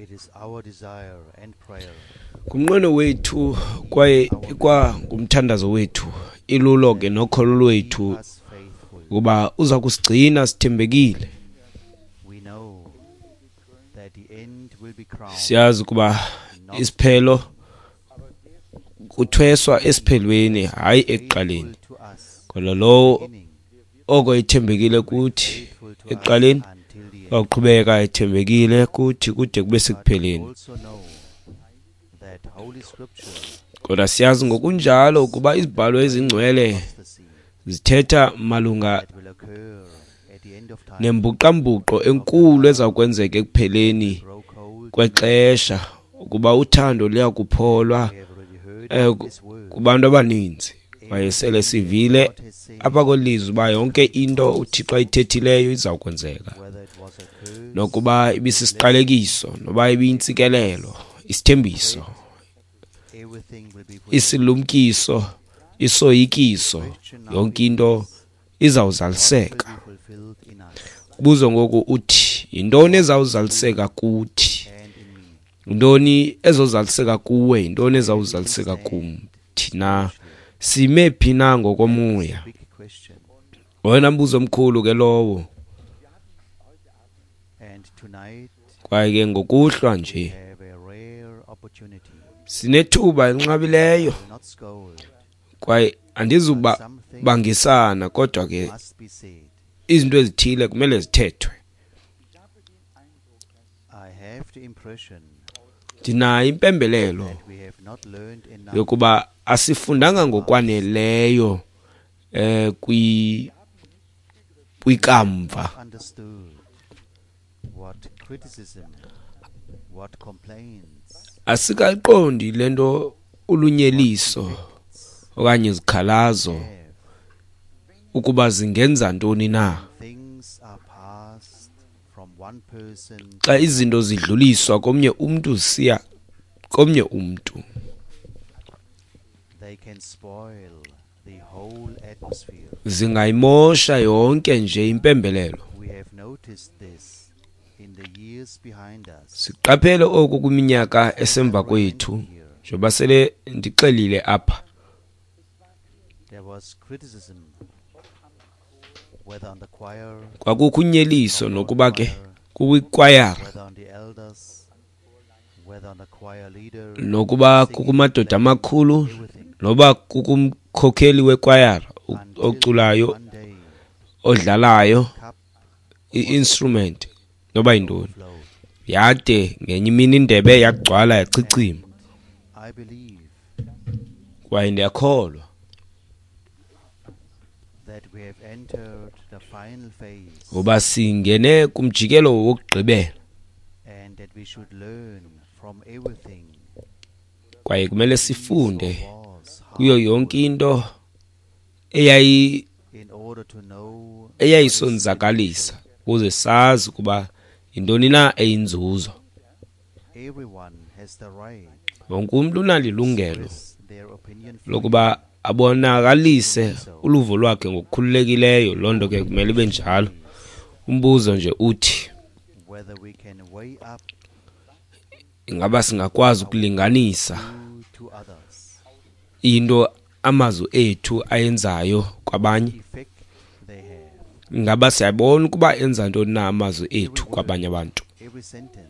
It is our desire and prayer Ngumnqweno wethu kwaye ikwangumthandazo wethu, ilulo ke nokholo lwethu keep us faithful. ukuba uza kusigcina sithembekile. We know that the end will be crowned Siyazi ukuba isiphelo kuthweswa esiphelweni, hayi ekuqaleni. faithful to us Kodwa lowo beginning, oko ethembekile kuthi faithful to us ekuqaleni until the end. waqhubeka ethembekile kuthi kude kube But we sekupheleni. also know that Holy Scripture Kodwa siyazi ngokunjalo ukuba izibhalo ezingcwele prophecy zithetha malunga that will occur at the end of time nembuqambuqo enkulu eza kwenzeka ekupheleni grow cold. kwexesha, ukuba uthando luya kupholwa We have already heard this word. kubantu abaninzi. Kwaye sele sivile God has said, apha kwelizwi uba yonke into uThixo ayithethileyo iza kwenzeka, whether it was a curse, nokuba ibisisiqalekiso noba ibiyintsikelelo, isithembiso, everything will be fulfilled. isilumkiso, isoyikiso, yonke into izawuzaliseka. Will be fulfilled in us Buzo ngoku uthi yintoni ezawuzaliseka kuthi? and in me. Yintoni ezozaliseka kuwe? Yintoni ezawuzaliseka kum? Thina sime phi na ngokomoya? Big question. Wena mbuzo omkhulu ke lowo. And tonight Kwaye ke ngokuhlwa we nje have a rare opportunity. sinethuba elinqabileyo, I will not scold. kwaye andizuba Something bangisana, kodwa ke must be said. izinto ezithile kumele zithethwe. I have the impression Ndinayo impembelelo that we have not learned enough yokuba asifundanga ngokwaneleyo kwikamva. understood what criticism, what complaints, Asikaqondi lento ulunyeliso okanye izikhalazo have. ukuba zingenza ntoni na. Things are passed from one person, Xa izinto zidluliswa komnye umntu zisiya komnye umntu, they can spoil the whole atmosphere. zingayimosha yonke nje impembelelo. We have noticed this in the years behind us. Siqaphele oku kwiminyaka esemva kwethu, njengoba sele ndixelile apha. There was criticism, whether on the choir, Kwakukho unyeliso nokuba ke kukwikwayara, whether on the elders, whether on the choir leader, nokuba kukumadoda amakhulu, noba kukumkhokheli wekwayara until oculayo, one day odlalayo cup i-instrument noba yintoni. overflowed. Yade ngenye imini indebe yagcwala yachichima. I believe Kwaye ndiyakholwa that we have entered the final phase ngoba singene kumjikelo wokugqibela, and that we should learn from everything kwaye kumele is or sifunde was kuyo harmful yonke into in order to know what is eyayisonzakalisa ukuze sazi ukuba yintoni na eyinzuzo. beneficial. Everyone has the right Wonke umntu unalo ilungelo express their opinion freely. lokuba abonakalise uluvo lwakhe ngokukhululekileyo. Loo nto ke kumele ibe njalo. Umbuzo nje uthi whether we can weigh up ingaba singakwazi ukulinganisa due to others into amazwi ethu ayenzayo kwabanye? effect they have. Ingaba siyabona ukuba enza ntoni na amazwi ethu kwabanye abantu? Every sentence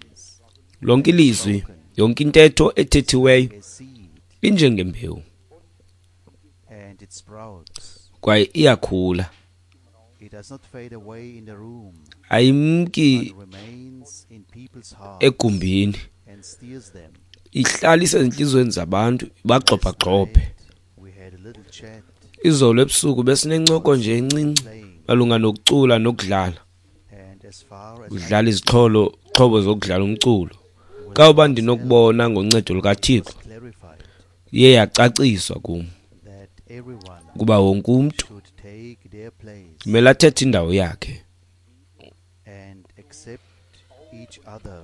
Lonke ilizwi, yonke intetho ethethiweyo a seed injengembewu, and it sprouts. kwaye iyakhula. It does not fade away in the room, Ayimki but remains in people's hearts egumbini, and steers them. ihlala isezintliziyweni zabantu, ibagxobhagxobhe. Last night, we had a little chat Izolo ebusuku besinencoko nje encinci playing, malunga nokucula nokudlala, and as far as I udlala izixholo xhobo zokudlala umculo. Xa uba ndinokubona ngoncedo lukaThixo, was clarified iye yacaciswa kum that everyone ukuba wonke umntu should take their place kumele athethe indawo yakhe and accept each other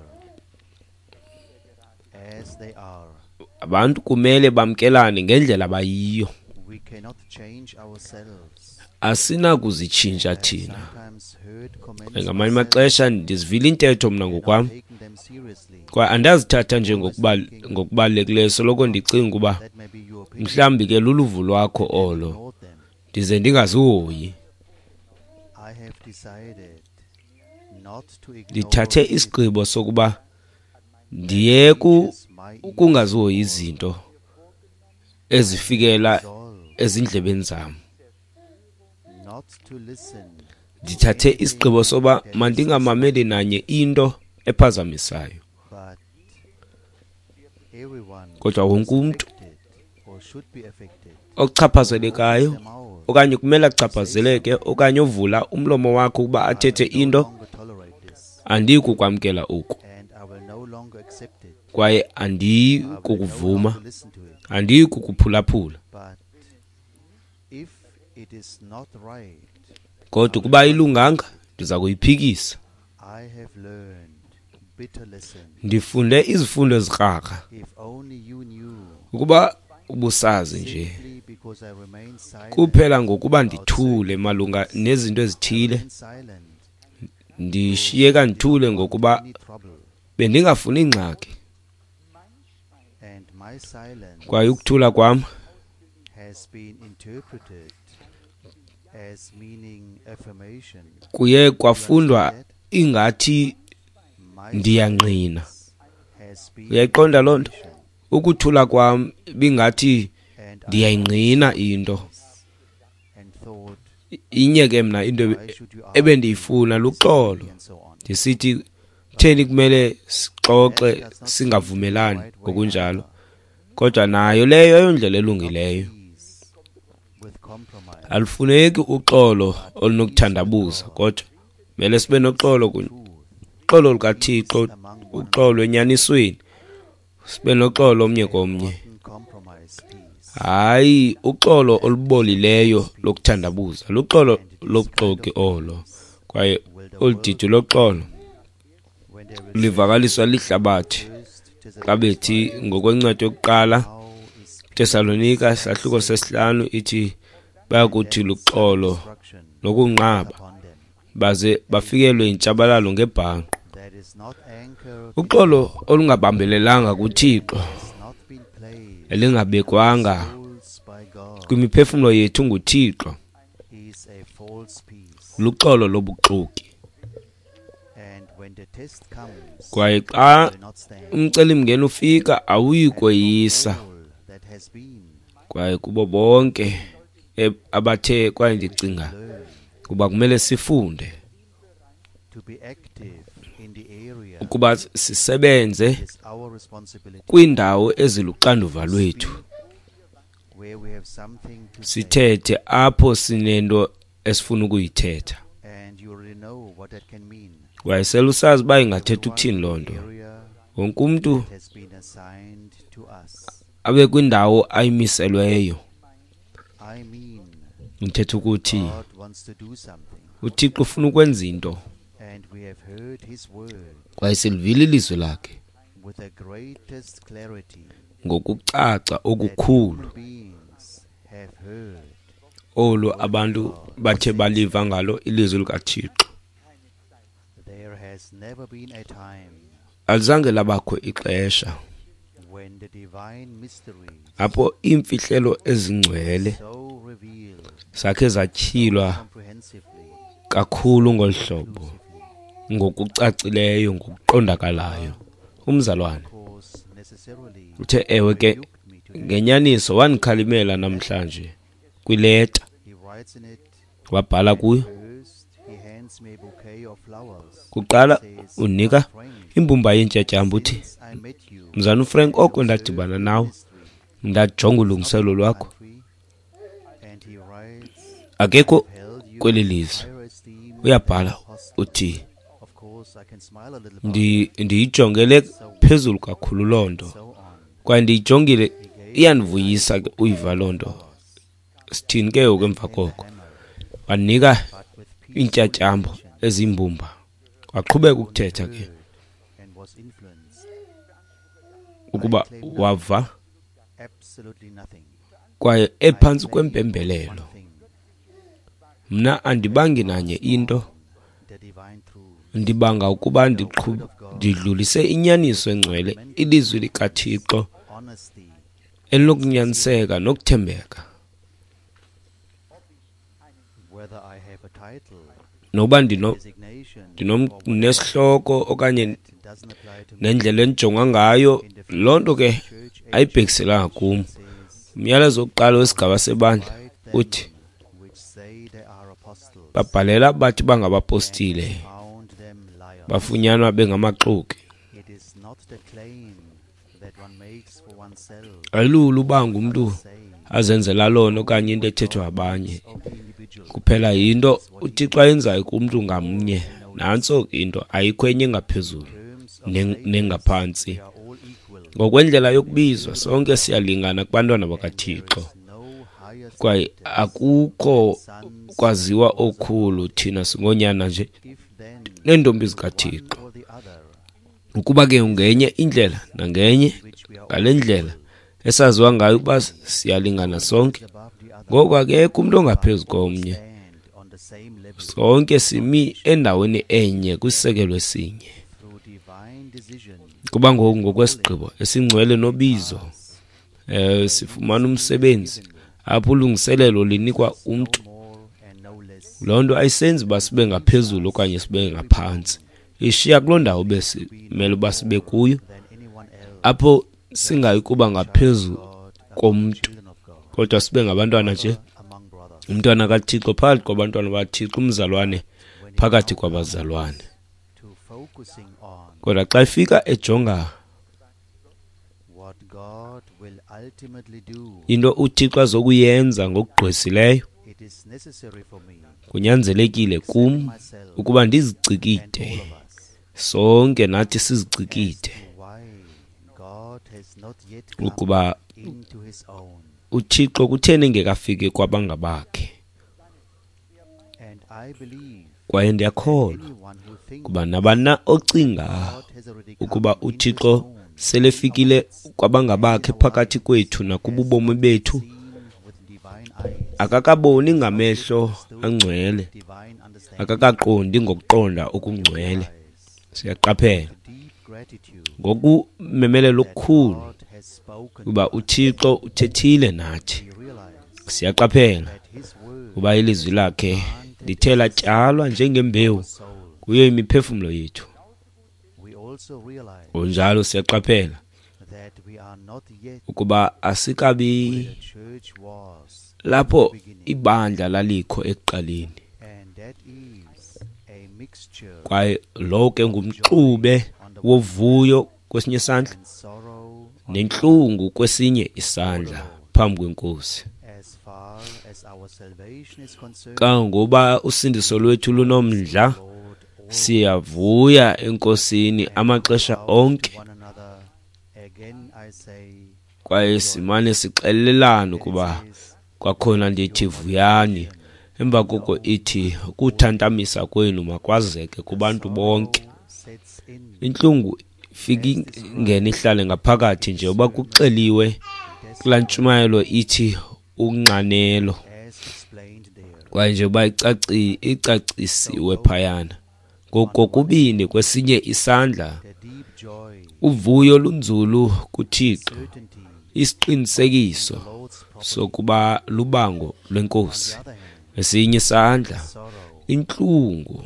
as they are. Abantu kumele bamkelane ngendlela abayiyo. We cannot change ourselves. Asinakuzitshintsha I have thina. sometimes heard comments Kwaye ngamanye myself amaxesha ndizivile intetho mna and not ngokwam taken them Kwaye andazithatha nje ngokubalulekileyo, soloko ndicinga ukuba mhlawumbi ke luluvo lwakho olo, ndize ndingazihoyi. Ndithathe isigqibo sokuba ndiyeke ukungazihoyi izinto ezifikela ezindlebeni zam. Ndithathe isigqibo soba mandingamameli nanye into ephazamisayo. Kodwa wonke umntu ochaphazelekayo okanye kumele achaphazeleke okanye ovula umlomo wakhe ukuba athethe into, andiyi kukwamkela oku kwaye andiyi kukuvuma, andiyi kukuphulaphula. Kodwa ukuba ayilunganga, ndiza kuyiphikisa. Ndifunde izifundo ezikrakra. Ukuba ubusazi nje, kuphela ngokuba ndithule malunga nezinto ezithile, ndishiyeka ndithule ngokuba bendingafuni ingxaki. Kwaye ukuthula kwam kuye kwafundwa ingathi ndiyangqina. Uyayiqonda loo nto? Ukuthula kwam bingathi ndiyayingqina into. Inye ke mna into ebendiyifuna luxolo, ndisithi kutheni kumele sixoxe singavumelani ngokunjalo. Kodwa nayo leyo ayondlela elungileyo. Alufuneki uxolo olunokuthandabuza, kodwa kumele sibe noxolo kunye, uxolo lukaThixo, uxolo enyanisweni, sibe noxolo omnye komnye. Hayi uxolo olubolileyo lokuthandabuza, luxolo lobuxoki olo. Kwaye olu didi loxolo livakaliswa lihlabathi xa bethi ngokwencwadi yokuqala Tesalonika isahluko 5 ithi bayakuthi luxolo nokunqaba, baze bafikelwe intshabalalo ngebhanqo. Uxolo olungabambelelanga kuThixo, elingabekwanga kwimiphefumlo yethu nguThixo, luxolo lobuxoki. Kwaye xa umcelimngeni ufika, awuyi koyisa. Kwaye kubo bonke abathe, kwaye ndicinga kuba kumele sifunde ukuba sisebenze kwiindawo eziluxanduva lwethu, sithethe apho sinento esifuna ukuyithetha. Kwaye selusazi uba ingathetha ukuthini loo nto. Wonke umntu abe kwindawo ayimiselweyo. Ndithetha ukuthi uThixo ufuna ukwenza into, kwaye silivile ilizwi lakhe ngokucaca okukhulu olu abantu bathe baliva ngalo ilizwi likaThixo. Alizange labakho ixesha apho iimfihlelo ezingcwele zakhe zatyhilwa kakhulu ngolu hlobo, ngokucacileyo, ngokuqondakalayo. Umzalwane uthe ewe ke ngenyaniso wandikhalimela namhlanje kwileta, wabhala kuyo. Kuqala unika imbumba yeentyatyambo, uthi, Mzalwana uFrank, oko ndadibana nawe, ndajonga ulungiselelo lwakho, akekho kweli lizwe. Uyabhala uthi, ndiyijongele phezulu kakhulu loo nto, kwaye ndiyijongile, iyandivuyisa ke uyiva loo nto. Sithini ke ngoku emva koko? Wanika iintyatyambo ezimbumba, waqhubeka ukuthetha ke ukuba wava kwaye ephantsi kwempembelelo. Mna andibangi nanye into, Ndibanga ukuba ndidlulise inyaniso engcwele, ilizwi likaThixo elinokunyaniseka nokuthembeka. Nokuba ndinesihloko okanye nendlela endijongwa ngayo, loo nto ke ayibhekiselanga kum. Umyalezo wokuqala wesigaba sebandla uthi, babhalela bathi bangabapostile, bafunyanwa bengamaxoki. Ayilula uba ngumntu azenzela lona okanye into ethethwa abanye. Kuphela yinto uThixo ayenzayo kumntu ngamnye. Nantso into, ayikho enye engaphezulu nengaphantsi. Ngokwendlela yokubizwa sonke siyalingana kubantwana bakaThixo, kwaye akukho kwaziwa okukhulu, thina singoonyana nje neentombi zikaThixo. Ukuba ke ngenye indlela nangenye ngale ndlela esaziwa ngayo ukuba siyalingana sonke, ngoko akekho umntu ongaphezu komnye. Sonke simi endaweni enye kwisisekelo esinye. Kuba ngoku ngokwesigqibo esingcwele nobizo, sifumana umsebenzi apho ulungiselelo linikwa umntu. Loo nto ayisenzi uba sibe ngaphezulu okanye sibe ngaphantsi, ishiya kuloo ndawo besimele uba sibe kuyo, apho singayi kuba ngaphezu komntu, kodwa sibe ngabantwana nje, umntwana kaThixo phakathi kwabantwana baThixo, umzalwane phakathi kwabazalwane. Kodwa xa ifika ejonga into uThixo azokuyenza ngokugqwesileyo, kunyanzelekile kum ukuba ndizicikide, sonke nathi sizicikide, ukuba uThixo kutheni engekafiki kwabangabakhe. Kwaye ndiyakholwa kuba nabani ocinga ukuba uThixo selefikile kwabangabakhe phakathi kwethu nakububomi bethu, akakaboni ngamehlo angcwele, akakaqondi ngokuqonda okungcwele. Siyaqaphela ngokumemelela okukhulu kuba uThixo uthethile nathi. Siyaqaphela kuba ilizwi lakhe lithe latyalwa njengembewu kuyo imiphefumlo yethu. Ngokunjalo siyaqaphela ukuba asikabi lapho ibandla lalikho ekuqaleni, kwaye lo ke ngumxube wovuyo kwesinye isandla nentlungu kwesinye isandla phambi kweNkosi. Kangangoba usindiso lwethu lunomdla, siyavuya eNkosini amaxesha onke, kwaye simane sixelelana ukuba kwakhona ndithi vuyani. Emva koko ithi ukuthantamisa kwenu makwazeke kubantu bonke. Intlungu ifika ingene ihlale ngaphakathi nje uba kuxeliwe kulaa ntshumayelo ithi unxanelo, kwaye nje uba icacisiwe phayana. Ngokokubini kwesinye isandla uvuyo lunzulu kuThixo, isiqinisekiso sokuba lubango lweNkosi. Esinye isandla intlungu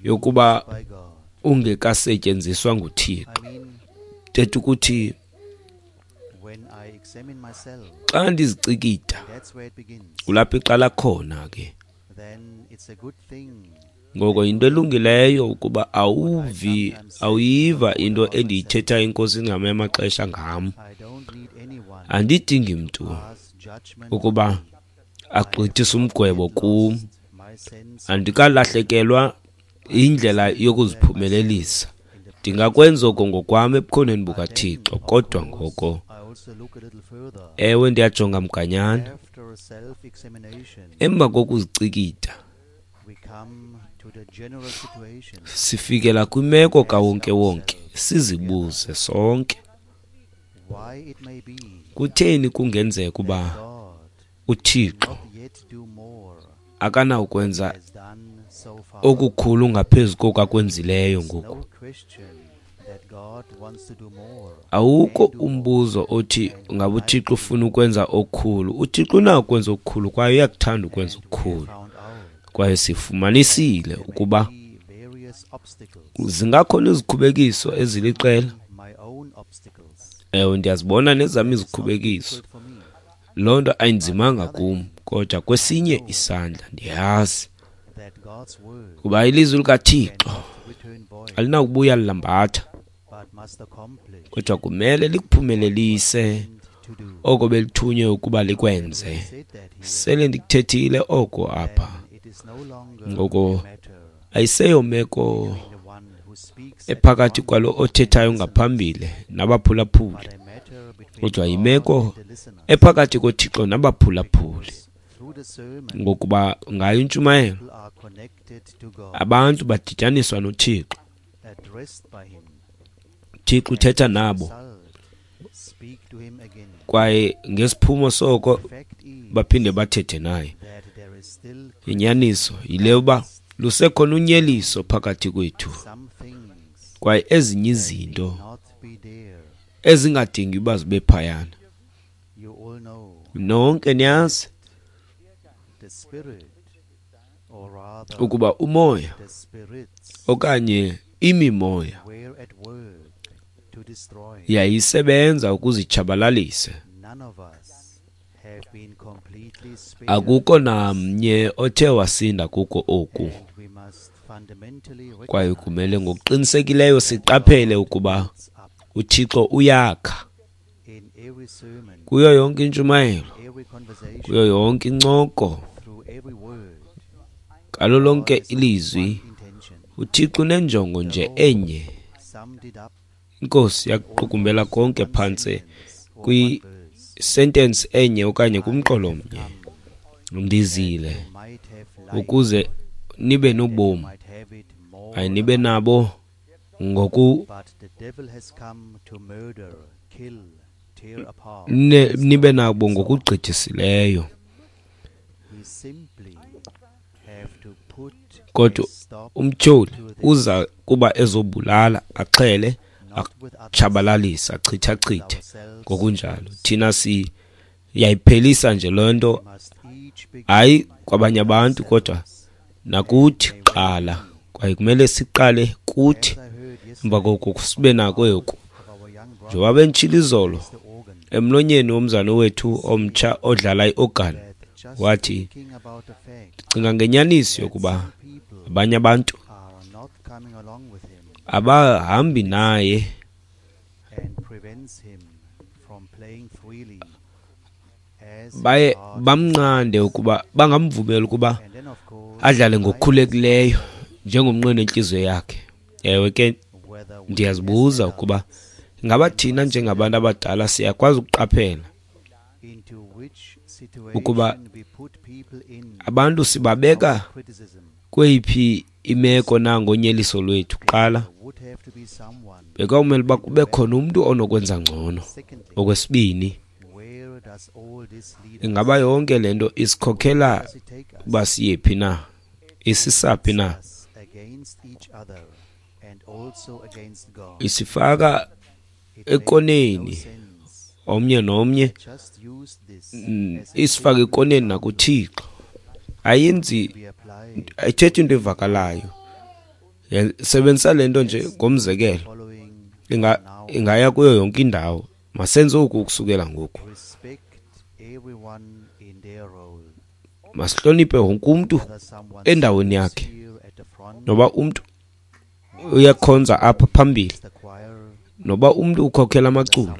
yokuba ungekasetyenziswa nguThixo. Thetha ukuthi xa ndizicikida kulapho iqala khona ke. Ngoko yinto elungileyo ukuba awuyiva into endiyithetha iNkosi ngamanye amaxesha ngam. Andidingi mntu ukuba agqithise umgwebo kum. Andikalahlekelwa indlela yokuziphumelelisa. Ndingakwenza oko ngokwam ebukhoneni bukaThixo, kodwa ngoko ewe ndiyajonga mganyana. Emva kokuzicikida sifikela kwimeko kawonke-wonke, sizibuze sonke, kutheni kungenzeka uba uThixo akanawukwenza okukhulu ngaphezu koku akwenzileyo ngoku. Awukho umbuzo othi ngabe uThixo ufuna ukwenza okukhulu. UThixo unako ukwenza okukhulu kwaye uyakuthanda ukwenza okukhulu. Kwaye sifumanisile ukuba zingakhona izikhubekiso eziliqela. Ewe, ndiyazibona nezam izikhubekiso. Loo nto ayinzimanga kum, kodwa kwesinye isandla ndiyazi kuba ilizwi likaThixo alinakubuya lilambatha, kodwa kumele likuphumelelise oko belithunywe ukuba likwenze. Sele ndikuthethile oko apha. Ngoko ayiseyomeko ephakathi kwalo othethayo ngaphambili nabaphulaphuli, kodwa yimeko ephakathi koThixo nabaphulaphuli. Ngokuba ngayo intshumayelo abantu badityaniswa noThixo, uThixo uthetha nabo, kwaye ngesiphumo soko baphinde bathethe naye. Inyaniso yile yoba lusekhona unyeliso phakathi kwethu, kwaye ezinye izinto ezingadingi uba zibe phayana. Nonke niyazi ukuba umoya okanye imimoya yayisebenza ukuzitshabalalisa. Akukho namnye othe wasinda kuko oku, kwaye kumele ngokuqinisekileyo siqaphele ukuba uThixo uyakha kuyo yonke intshumayelo, kuyo yonke incoko, ngalo lonke ilizwi. uThixo unenjongo nje enye. INkosi yakuqukumbela konke phantse kwi-sentence enye okanye kumqolo mnye. Ndizile ukuze nibe nobomi, nibe nabo ngoku nibe nabo ngokugqithisileyo. Kodwa umtyholi uza kuba ezobulala, axhele, atshabalalise, achithachithe ngokunjalo. Thina siyayiphelisa nje loo nto, hayi kwabanye abantu kodwa nakuthi kuqala. Kwaye kumele siqale kuthi, emva koko sibe nako oku. Njengoba benditshilo izolo emlonyeni womzana wethu omtsha odlala i-organ, wathi, ndicinga ngenyaniso yokuba abanye abantu abahambi naye baye bamnqande ukuba bangamvumeli ukuba adlale ngokukhululekileyo njengomnqweno entliziyo yakhe. Ewe ke, ndiyazibuza ukuba ingaba thina njengabantu abadala siyakwazi ukuqaphela ukuba abantu sibabeka kweyiphi imeko na ngonyeliso lwethu. Kuqala bekwawumele uba kube khona umntu onokwenza ngcono. Okwesibini, ingaba yonke le nto isikhokhela uba siyephi na, isisaphi na, isifaka ekoneni omnye nomnye, isifake ekoneni nakuThixo. Ayenzi, ayithethi into evakalayo. Sebenzisa le nto nje ngomzekelo, ingaya kuyo yonke indawo. Masenze oku ukusukela ngoku. Masihloniphe wonke umntu endaweni yakhe. Noba umntu uyakhonza apha phambili, noba umntu ukhokhela amaculo,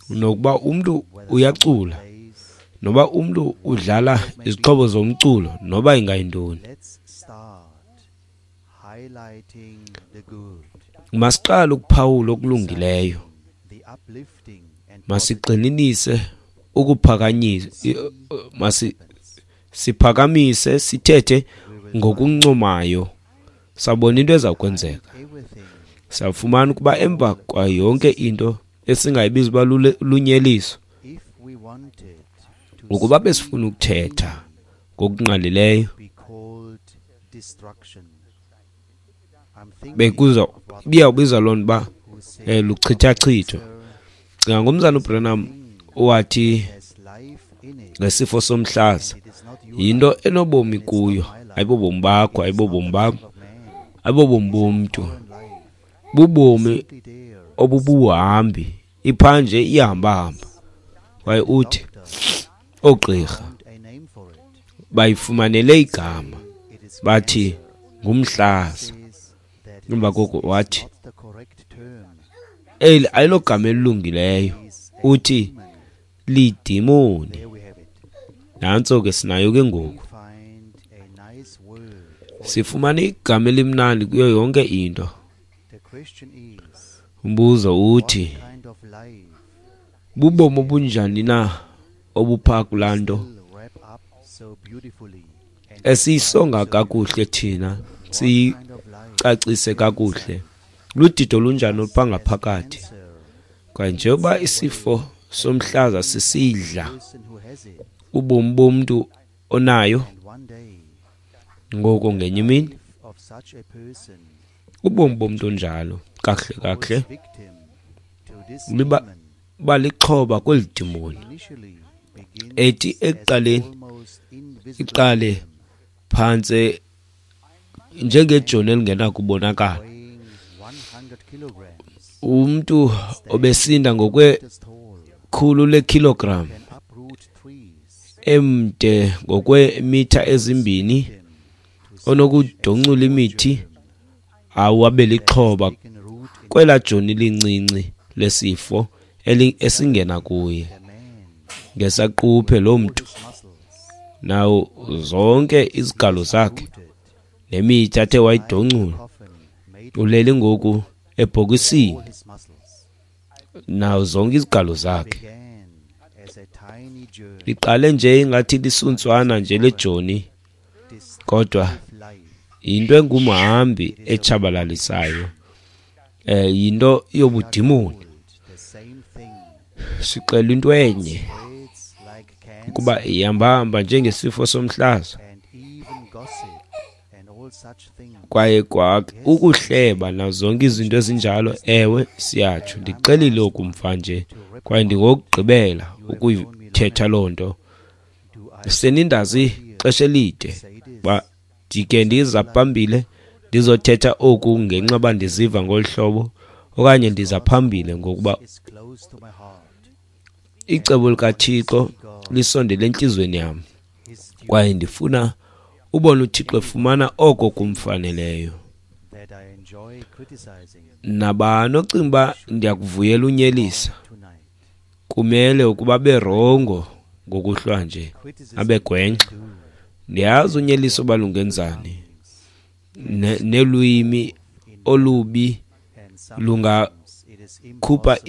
nokuba umntu uyacula, noba umntu udlala izixhobo zomculo, noba ingayintoni. Masiqale ukuphawula okulungileyo. Masigxininise ukuphakanyisa, siphakamise, sithethe ngokuncomayo. Sabona into eza kwenzeka. Safumana ukuba emva kwayo yonke into esingayibiza uba lunyeliso, ukuba besifuna ukuthetha Ngokungqalileyo bekuza ibiyawubizwa loo nto uba luchithachitho. Cinga ngomzana uBranham owathi ngesifo somhlaza, yinto enobomi kuyo, ayibobomi bakho, ayibobomi bam, ayibobomi bomntu, bubomi obubuhambi, iphanje iyahambahamba. Kwaye uthi oogqirha bayifumanele igama bathi ngumhlaza. Emva koko wathi eli ayilogama elilungileyo, uthi lidimoni. Nantso ke sinayo ke ngoku. Sifumana igama elimnandi kuyo yonke into. Umbuzo uthi bubomi obunjani na obupha kulaa nto esiyisonga kakuhle thina, siyicacise kakuhle? Ludidi olunjani olupha ngaphakathi? Kwaye njengoba isifo somhlaza sisidla ubomi bomntu onayo, ngoko ngenye imini ubomi bomntu onjalo kakuhle kakuhle liba lixhoba kweli dimoni, ethi ekuqaleni iqale phantse njengejoni elingenakubonakala. Umntu obesinda ngokwe-100 lekilogram, emde ngokweemitha 2, onokudoncula imithi, awabe lixhoba kwelaa joni lincinci lesifo esingena kuye. Ngesaquphe loo mntu nawo zonke izigalo zakhe nemithi athe wayidoncula, ulele ngoku ebhokisini nawo zonke izigalo zakhe. Liqale nje ingathi lisuntswana nje lejoni, kodwa yinto engumhambi etshabalalisayo, yinto yobudimoni. Sixela into enye ukuba ihambahamba njengesifo somhlaza, kwaye kwa ukuhleba nazo zonke izinto ezinjalo. Ewe, siyatsho. Ndixelile oku mva nje, kwaye ndingokugqibela ukuyithetha loo nto. Senindazi ixesha elide uba ndike ndiza phambili ndizothetha oku ngenxa yoba ndiziva ngolu hlobo, okanye ndiza phambili ngokuba icebo likaThixo lisondele entliziyweni yam, kwaye ndifuna ubona uThixo efumana oko kumfaneleyo. Nabani ocinga uba ndiyakuvuyela unyelisa, kumele ukuba berongo ngokuhlwa nje, abegwenxa. Ndiyazi unyeliso uba lungenzani, nelwimi olubi lungakhupha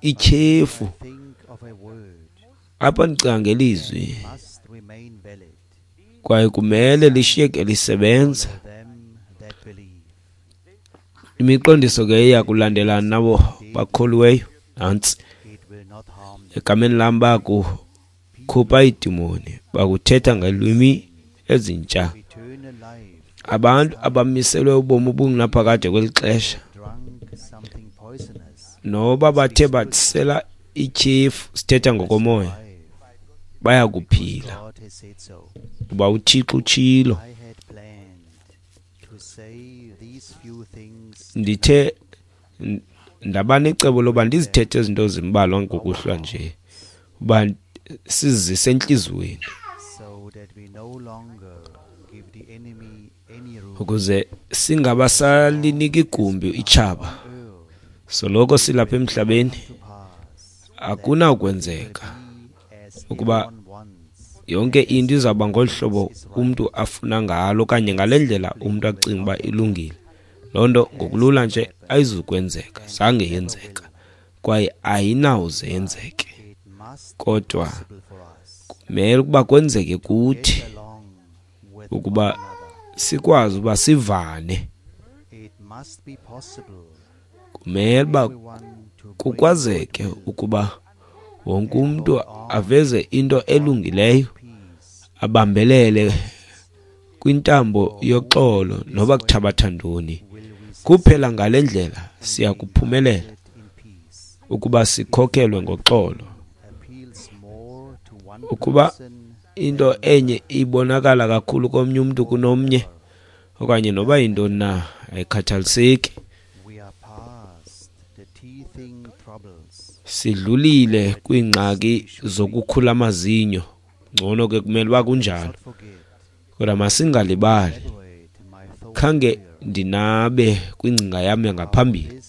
ityhefu. Apha ndicinga ngelizwi, kwaye kumele lishiyeke lisebenza. Imiqondiso ke iya kulandelana nabo bakholiweyo. Nantsi, egameni lam bakukhupha iidimoni, bakuthetha ngeelwimi ezintsha. Abantu abamiselwe ubomi obungunaphakade kweli xesha, noba bathe basela ityhefu, sithetha ngokomoya, bayakuphila kuba uThixo utshilo. Ndithe ndaba necebo loba ndizithethe izinto zimbalwa ngokuhlwa nje, uba sizise entliziyweni, ukuze singabasaliniki igumbi itshaba. Soloko silapha emhlabeni, akunakwenzeka ukuba yonke into izawuba ngolu hlobo umntu afuna ngalo okanye ngale ndlela umntu acinga uba ilungile. Loo nto ngokulula nje ayizukwenzeka, zange yenzeka, kwaye ayinawuze yenzeke. Kodwa kumele ukuba kwenzeke kuthi ukuba sikwazi uba sivane. Kumele uba kukwazeke ukuba wonke umntu aveze into elungileyo abambelele kwintambo yoxolo noba kuthabatha ntoni. Kuphela ngale ndlela siya kuphumelela ukuba sikhokhelwe ngoxolo. Ukuba into enye ibonakala kakhulu komnye umntu kunomnye okanye noba yintoni na, ayikhathaliseki. Sidlulile kwiingxaki zokukhula amazinyo, ngcono ke kumele uba kunjalo, kodwa masingalibali. Khange ndinabe kwingcinga yam yangaphambili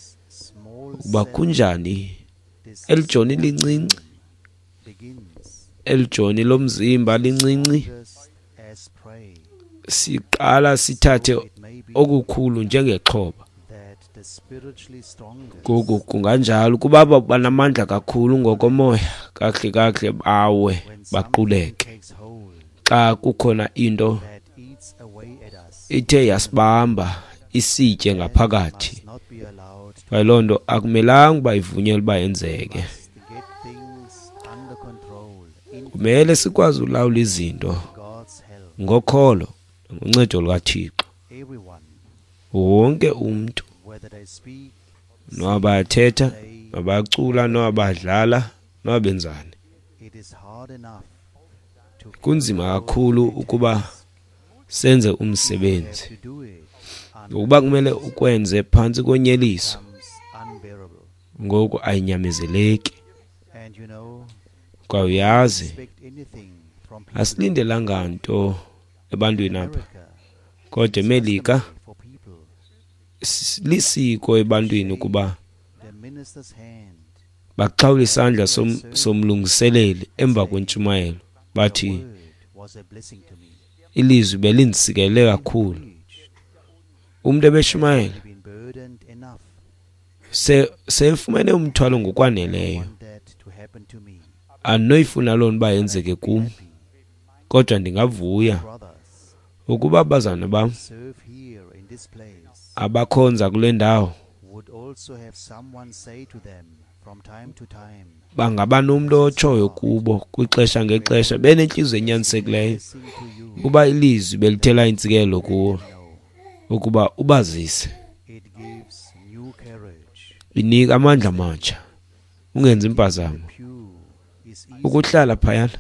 ukuba kunjani eli joni lincinci, eli joni lomzimba lincinci, siqala sithathe okukhulu njengexhoba. Ngoku kunganjalo ukuba banamandla kakhulu ngokomoya, kakuhle kakuhle bawe baquleke. Xa kukhona into ithe yasibamba isitye ngaphakathi, kwaye loo nto akumelanga uba ivunyelwe uba yenzeke. Kumele sikwazi ulawula izinto ngokholo ngoncedo lukaThixo. Wonke umntu, noba bayathetha, noba bayacula, noba bayadlala, noba benzani, kunzima kakhulu ukuba senze umsebenzi ngokuba kumele ukwenze phantsi konyeliso. Ngoku ayinyamezeleki. Kwaye uyazi, asilindelanga nto ebantwini apha, kodwa eMelika lisiko ebantwini ukuba baxhawule isandla somlungiseleli emva kwentshumayelo, bathi ilizwi belindisikelele kakhulu. Umntu ebeshumayela sefumene umthwalo ngokwaneleyo, andinoyifuna loo nto uba yenzeke kum, kodwa ndingavuya ukuba abazalwana bam abakhonza kule ndawo bangaba nomntu otshoyo kubo kwixesha ngexesha, benentliziyo enyanisekileyo, uba ilizwi belithela intsikelo kuwo, ukuba ubazise. Inika amandla amatsha, ungenzi impazamo. Ukuhlala phayana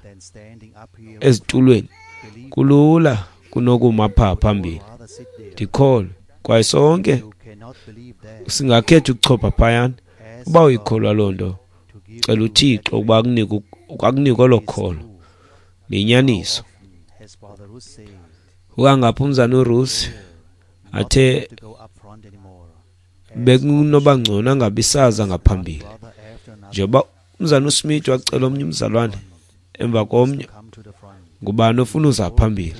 ezitulweni kulula kunokuma phaa phambili. Ndikholwe, kwaye sonke singakhetha ukuchopha phayana. Uba uyikholwa loo nto, cela uThixo ukuba akunike olo kholo. Liyinyaniso. Ukangapha umzana uRusi athe bekunoba ngcono angabi saza ngaphambili, njengoba umzana uSmith wacela omnye umzalwane emva komnye, ngubani ofuna uza phambili?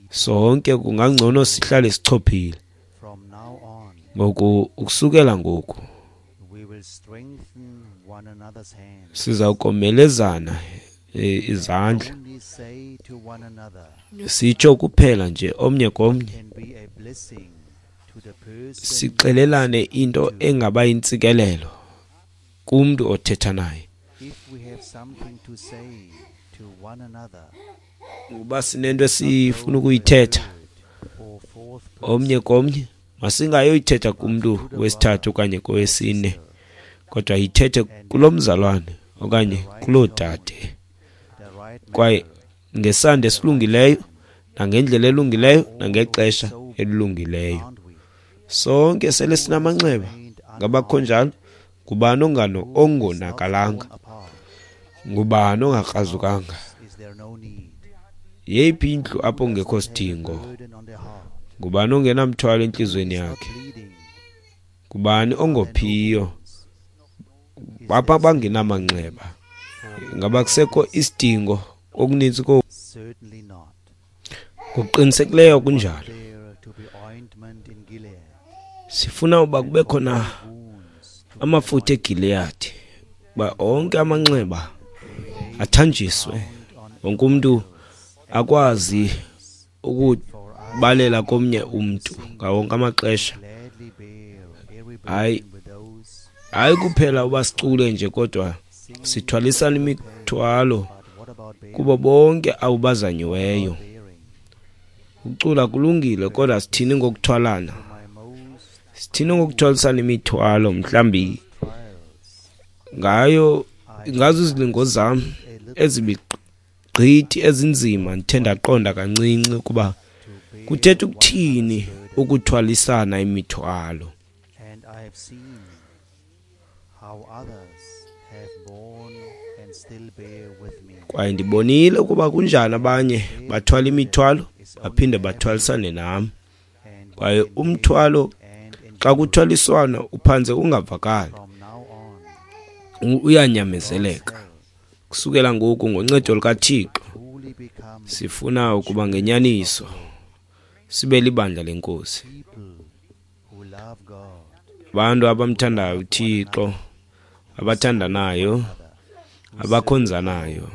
Sonke kungangcono sihlale sichophile. Ngoku ukusukela ngoku siza komelezana izandla, sitsho kuphela nje omnye komnye, sixelelane into engaba yintsikelelo kumntu othetha naye. Ukuba sinento esifuna ukuyithetha omnye komnye, masingayoyithetha kumntu wesithathu okanye kowesine, kodwa yithethe kulo mzalwane okanye kuloo dade, kwaye ngesandi esilungileyo nangendlela elungileyo nangexesha elilungileyo. Sonke sele sinamanxeba, ngabakho njalo. Ngubani ongonakalanga? Ngubani ongakrazukanga? Yeyiphi indlu apho kungekho sidingo? Ngubani ongenamthwalo entliziyweni yakhe? Ngubani ongophiyo? Bapha bangenamanxeba. Ngaba kusekho isidingo okuninzi ko? Ngokuqinisekileyo kunjalo. Sifuna uba kube khona amafutha eGileyadi, uba onke amanxeba athanjiswe, wonke umntu akwazi ukubalela komnye umntu ngawonke amaxesha. Hayi kuphela uba sicule nje, kodwa sithwalisana imithwalo Kubo bonke abo bazanyiweyo. Ukucula kulungile, kodwa sithini ngokuthwalana? Sithini ngokuthwalisana imithwalo? Mhlawumbi ngayo ngazo izilingo zam ezibigqithi ezinzima, ndithe ndaqonda kancinci ukuba kuthetha ukuthini ukuthwalisana imithwalo. And I have seen how others have borne and still bear with me. Kwaye ndibonile ukuba kunjani abanye bathwala imithwalo baphinde bathwalisane nam. And we Kwaye can bear umthwalo and xa endure. kuthwaliswana uphantse ungavakali, From now on, uyanyamezeleka. God's help Kusukela ngoku, ngoncedo lukaThixo, truly become sifuna ukuba ngenyaniso sibe libandla lenkosi, people who love God, abantu abamthandayo uThixo, abathandanayo, other, abakhonzanayo,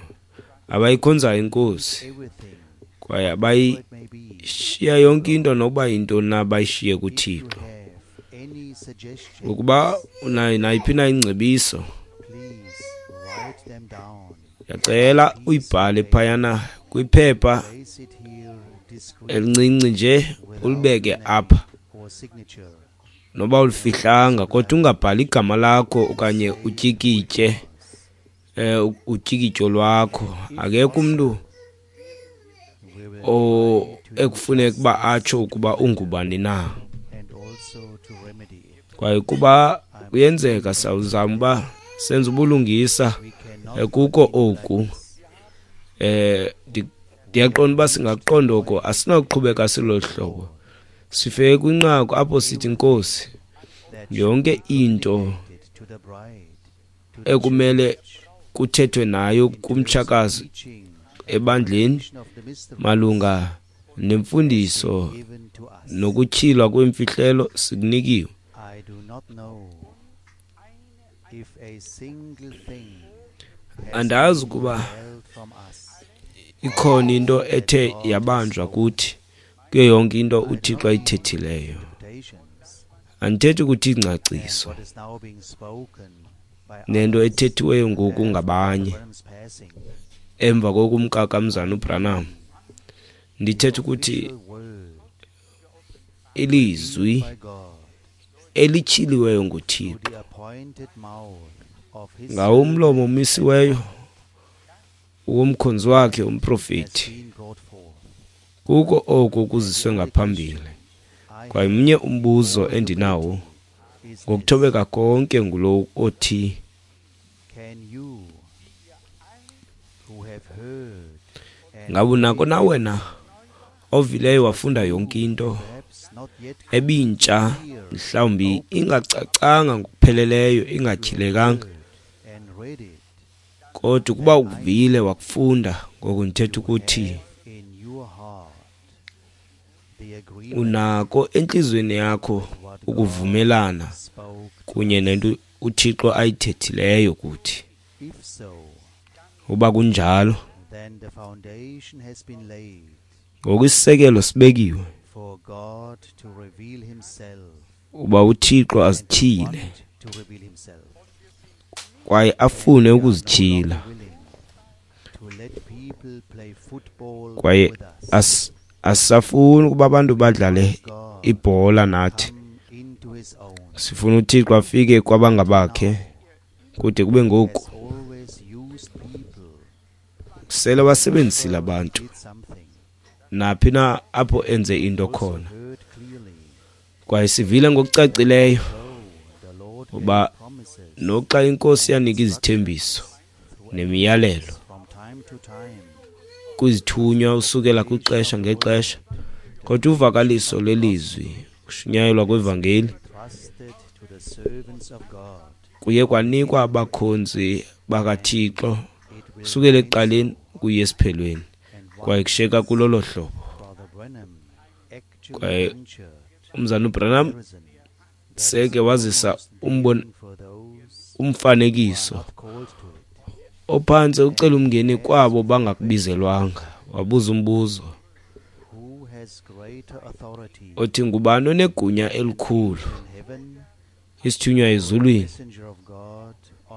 abayikhonzayo inkosi, everything kwaye it may be. abayishiya yonke into nokuba yintoni na bayishiye If you kuThixo. have any suggestions, Ukuba unayo nayiphi na ingcebiso, please write them down. ndiyacela uyibhale phayana kwiphepha Place it here discreetly elincinci nje, ulibeke without apha, name or signature. noba ulifihlanga, kodwa ungabhali igama lakho okanye utyikitye utyikityo lwakho. Akekho umntu We will o try to do ekufuneka uba justice atsho ukuba ungubani na. and also to remedy it. Kwaye kuba kuyenzeka sawuzama uba senze ubulungisa We cannot kuko continue like oku. this. Ndiyaqonda uba singaqonda oko, asinawuqhubeka silolu hlobo. Sifike kwinqaku apho sithi, Nkosi, That yonke should be into communicated to the bride, to the ekumele church, kuthethwe nayo in terms of kumtshakazi teaching ebandleni and of the mysteries malunga nemfundiso given to us. nokutyhilwa kwemfihlelo sikunikiwe. I do not know if a single thing has Andazi been ukuba withheld from us. ikhona into ethe yabanjwa kuthi kuyo yonke into uThixo ayithethileyo. Interpretations Andithethi ukuthi and ingcaciso what is now being spoken by nento others ethethiweyo ngoku after ngabanye Branham's passing. emva kokumka kamzana uBranham. Ndithetha ukuthi Official word ilizwi by God elityhiliweyo through nguThixo the appointed mouth of his ngawo umlomo omisiweyo womkhonzi wakhe has umprofeti, been brought forth. kuko oku kuziswe ngaphambili. I Kwaye mnye umbuzo endinawo is this: ngokuthobeka konke ngulo othi, Can you who have heard and ngabe unako read na wena ovileyo wafunda yonke into perhaps not yet ebintsha, mhlawumbi ingacacanga ngokupheleleyo, ingatyhilekanga, heard and read it, kodwa ukuba ukuvile wakufunda, ngoku ndithetha ukuthi have in your heart the agreement unako entliziyweni yakho what God ukuvumelana spoke to kunye us. nento uThixo ayithethileyo kuthi. If so, Uba kunjalo, then the foundation has been laid ngoku isisekelo sibekiwe for God to reveal himself uba uThixo and to azityhile want to reveal himself. kwaye afune We are no ukuzityhila, longer willing to let people play football kwaye with us. asisafuni ukuba abantu badlale God ibhola nathi. come into his own. Sifuna uThixo afike kwabangabakhe kude kube ngoku. Has always used people Sele wasebenzisile abantu did something. naphi na apho enze into Also khona. heard clearly, Kwaye sivile ngokucacileyo though the Lord gave uba promises noxa inkosi yanika izithembiso through nemiyalelo from time to time, kwizithunywa usukela kwixesha ngexesha, kodwa uvakaliso lwelizwi, ukushunyayelwa kwevangeli, trusted to the servants of God, kuye kwanikwa abakhonzi bakaThixo it will kusukela remain ekuqaleni kuye esiphelweni, and kwaye one kushiyeka kulolo hlobo. Brother Branham actually Kwaye ventured umzana uBranham comparison that is seke wazisa almost umbon vain for those who are umfanekiso not called to it. ophantse ucela umngeni kwabo bangakubizelwanga. Wabuza umbuzo Who has greater authority othi, ngubani onegunya elikhulu, in heaven isithunywa or the ezulwini messenger of God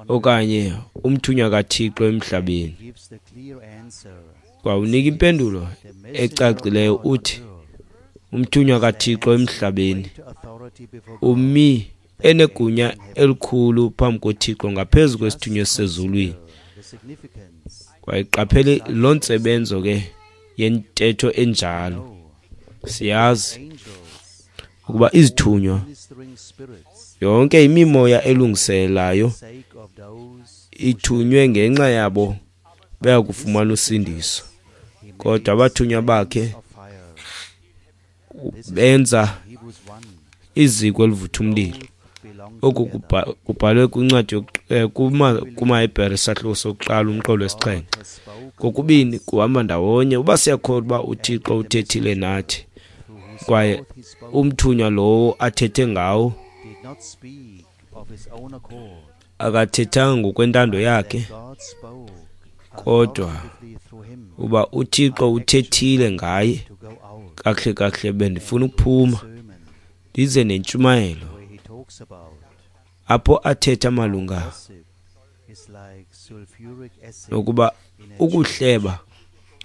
okanye umthunywa kaThixo emhlabeni. Kwawunika impendulo ecacileyo uthi umthunywa kaThixo emhlabeni umi enegunya elikhulu phambi koThixo ngaphezu kwesithunywa esisezulwini. Kwayiqaphele loo ntsebenzo ke yentetho enjalo. Siyazi ukuba izithunywa yonke imimoya elungiselayo ithunywe ngenxa yabo baya kufumana usindiso, kodwa abathunywa bakhe benza iziko elivutha umlilo. Oku kubhalwe kwincwadi kumaHebhere isahluko sokuqala umqolo wesixhenxe. Kokubini kuhamba ndawonye. Uba siyakholwa uba uThixo uthethile nathi kwaye umthunywa lowo athethe ngawo akathethanga ngokwentando yakhe, kodwa uba uThixo uthethile ngaye, kakuhle kakuhle bendifuna ukuphuma ndize nentshumayelo apho athetha malunga nokuba ukuhleba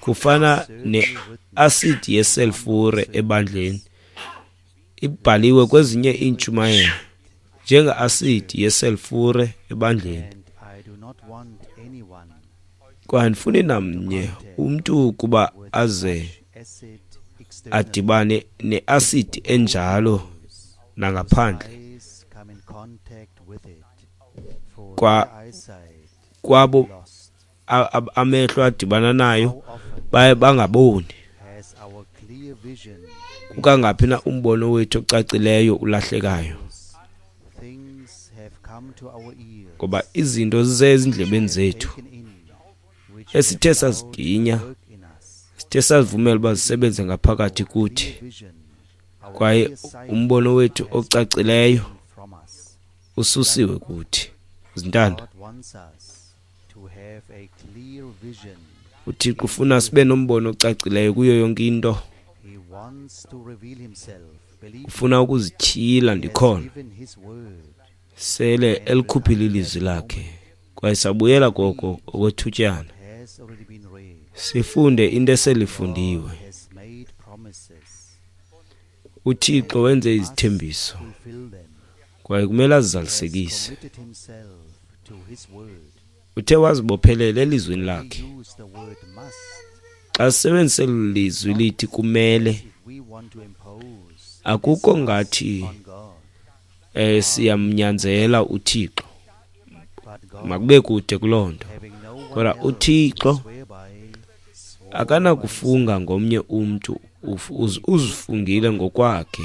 kufana neasidi yeselfure ebandleni. Ibhaliwe kwezinye iintshumayelo njengeasidi yeselfure ebandleni. Kwaye andifuni namnye umntu ukuba aze adibane neasidi enjalo nangaphandle kwabo amehlo adibana nayo baye bangaboni. Kukangaphi na umbono wethu ocacileyo ulahlekayo, ngoba izinto zize ezindlebeni zethu esithe saziginya, sithe sazivumela uba zisebenze ngaphakathi kuthi, kwaye umbono wethu ocacileyo ususiwe kuthi. Zintanda, uThixo ufuna sibe nombono ocacileyo kuyo yonke into. Ufuna ukuzityhila ndikhona. Sele elikhuphile ilizwi lakhe, kwaye sabuyela koko okwethutyana sifunde into eselifundiwe. uThixo wenze izithembiso kwaye kumele azizalisekise. Uthe wazibophelela elizwini lakhe. Xa sisebenzisa eli lizwi lithi kumele, akukho ngathi siyamnyanzela uThixo, makube kude kuloo nto. Kodwa uThixo akanakufunga ngomnye umntu, uzifungile ngokwakhe.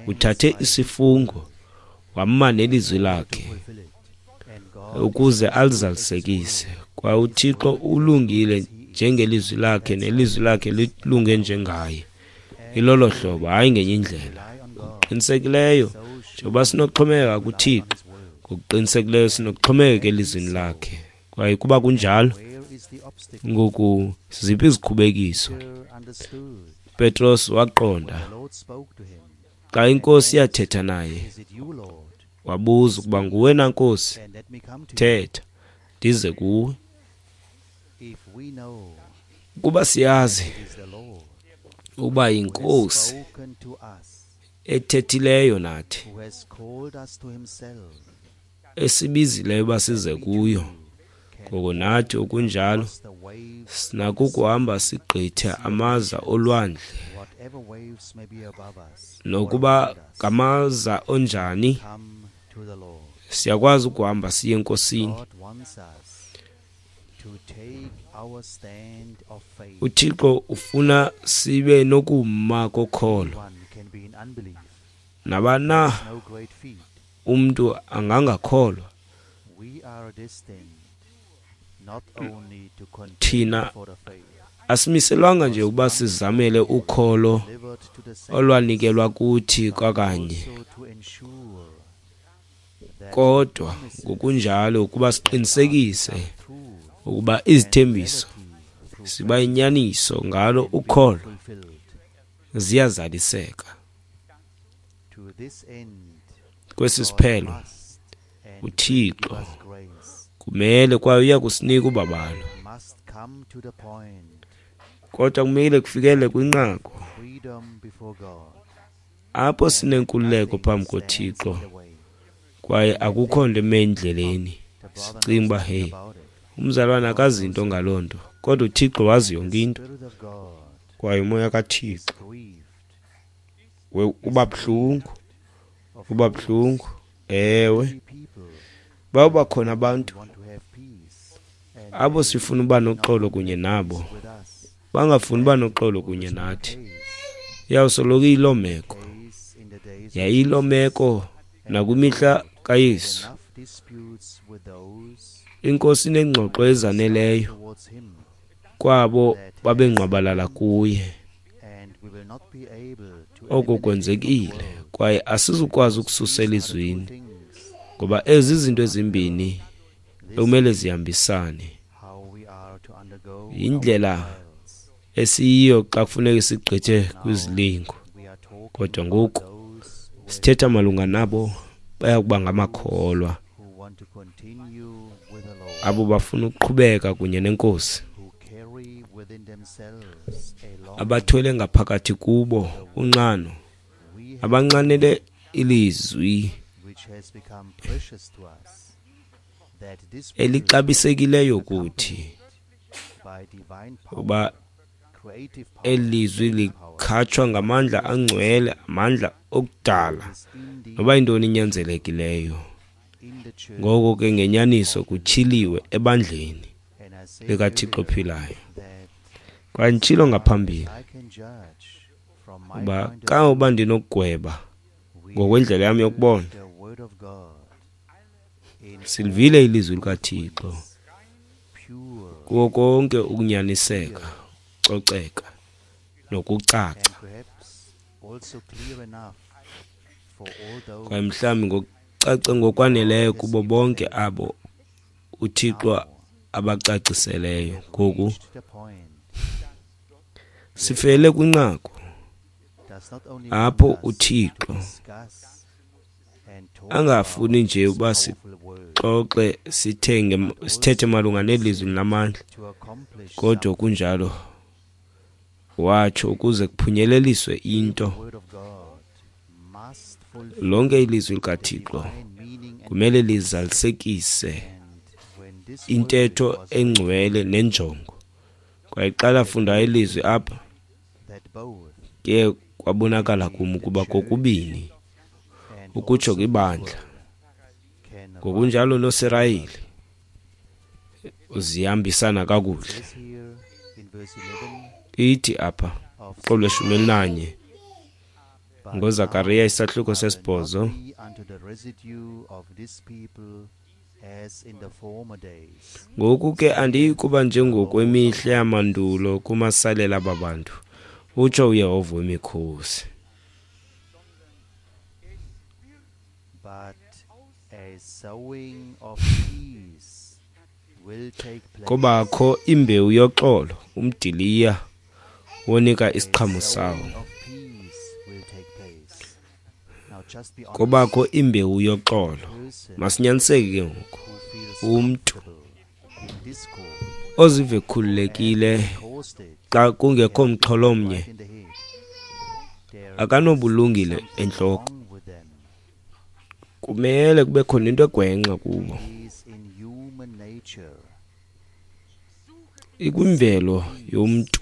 Uthathe isifungo wama nelizwi lakhe ukuze alizalisekise. Kwaye uThixo ulungile njengelizwi lakhe, nelizwi lakhe lilunge njengaye. Ilolo hlobo, hayi ngenye indlela. Ngokuqinisekileyo njengoba sinokuxhomekeka kuThixo, ngokuqinisekileyo sinokuxhomekeka elizwini lakhe. Kwaye kuba kunjalo, ngoku ziphi izikhubekiso? Petros waqonda xa iNkosi yathetha naye, wabuza ukuba nguwe na Nkosi, thetha ndize kuwe. Kuba siyazi ukuba yiNkosi ethethileyo nathi, esibizileyo uba size kuyo, ngoko nathi okunjalo sinako ukuhamba sigqithe amaza olwandle, nokuba ngamaza onjani, siyakwazi ukuhamba siye eNkosini. uThixo ufuna sibe nokuma kokholo. Nabana umntu angangakholwa, thina asimiselwanga nje ukuba sizamele ukholo olwanikelwa kuthi kwakanye, kodwa ngokunjalo ukuba siqinisekise ukuba izithembiso ziba yinyaniso ngalo ukholo ziyazaliseka. Kwesi siphelo uThixo kumele kwaye uya kusinika ubabalo. Kodwa kumele kufikele kwinqaku apho sinenkululeko phambi koThixo kwaye akukho nto eme endleleni. Sicinga uba hey, umzalwane akazi into ngaloo nto, kodwa uThixo wazi yonke into. Kwaye umoya kaThixo uba buhlungu. Ewe, bawuba khona abantu abo sifuna uba noxolo kunye nabo, bangafuni uba noxolo kunye nathi. Iyawusoloko iyiloo meko, yayiyiloo meko nakwimihla kaYesu. INkosi inengxoxo ezaneleyo kwabo babengqwabalala kuye. Oko kwenzekile kwaye asizukwazi ukususa elizwini, ngoba ezi zinto ezimbini ekumele zihambisane. Yindlela esiyiyo xa kufuneka sigqithe kwizilingo. Kodwa ngoku sithetha malunga nabo baya kuba ngamakholwa, abo bafuna ukuqhubeka kunye neNkosi, abathwele ngaphakathi kubo unxano, abanxanele ilizwi elixabisekileyo kuthi, uba elizwi likhatshwa ngamandla angcwele, amandla okudala noba yintoni inyanzelekileyo. Ngoko ke ngenyaniso kutyhiliwe ebandleni likaThixo ophilayo. Kwaye nditshilo ngaphambili uba kangokuba ndinokugweba ngokwendlela yam yokubona, silivile ilizwi likaThixo kuwo konke ukunyaniseka, coceka nokucaca, kwaye mhlawumbi ngokucaca ngokwaneleyo kubo bonke abo uThixo abacaciseleyo. Ngoku sifele kwinqaku apho uThixo angafuni nje uba sixoxe sithethe malunga nelizwi lamandla, kodwa kunjalo watsho ukuze kuphunyeleliswe into. Lonke ilizwi likaThixo kumele lizalisekise intetho engcwele nenjongo. Kwaye xa lafunda ilizwi apha, ke kwabonakala kum ukuba kokubini ukutsho kwibandla ngokunjalo noSirayeli zihambisana kakuhle. Ithi apha xolo 11 ngoZakariya isahluko 8, ngoku ke andiyi kuba njengokwemihla yamandulo kumasalela aba bantu, utsho uYehova wemikhosi. Kobakho imbewu yoxolo, umdiliya wonika isiqhamo sawo. Kobakho imbewu yoxolo. Masinyaniseke ke ngoku. Umntu ozive ekhululekile xa kungekho mxholo omnye akanobulungile entloko. Kumele kube khona into egwenxa kubo. Ikwimvelo yomntu.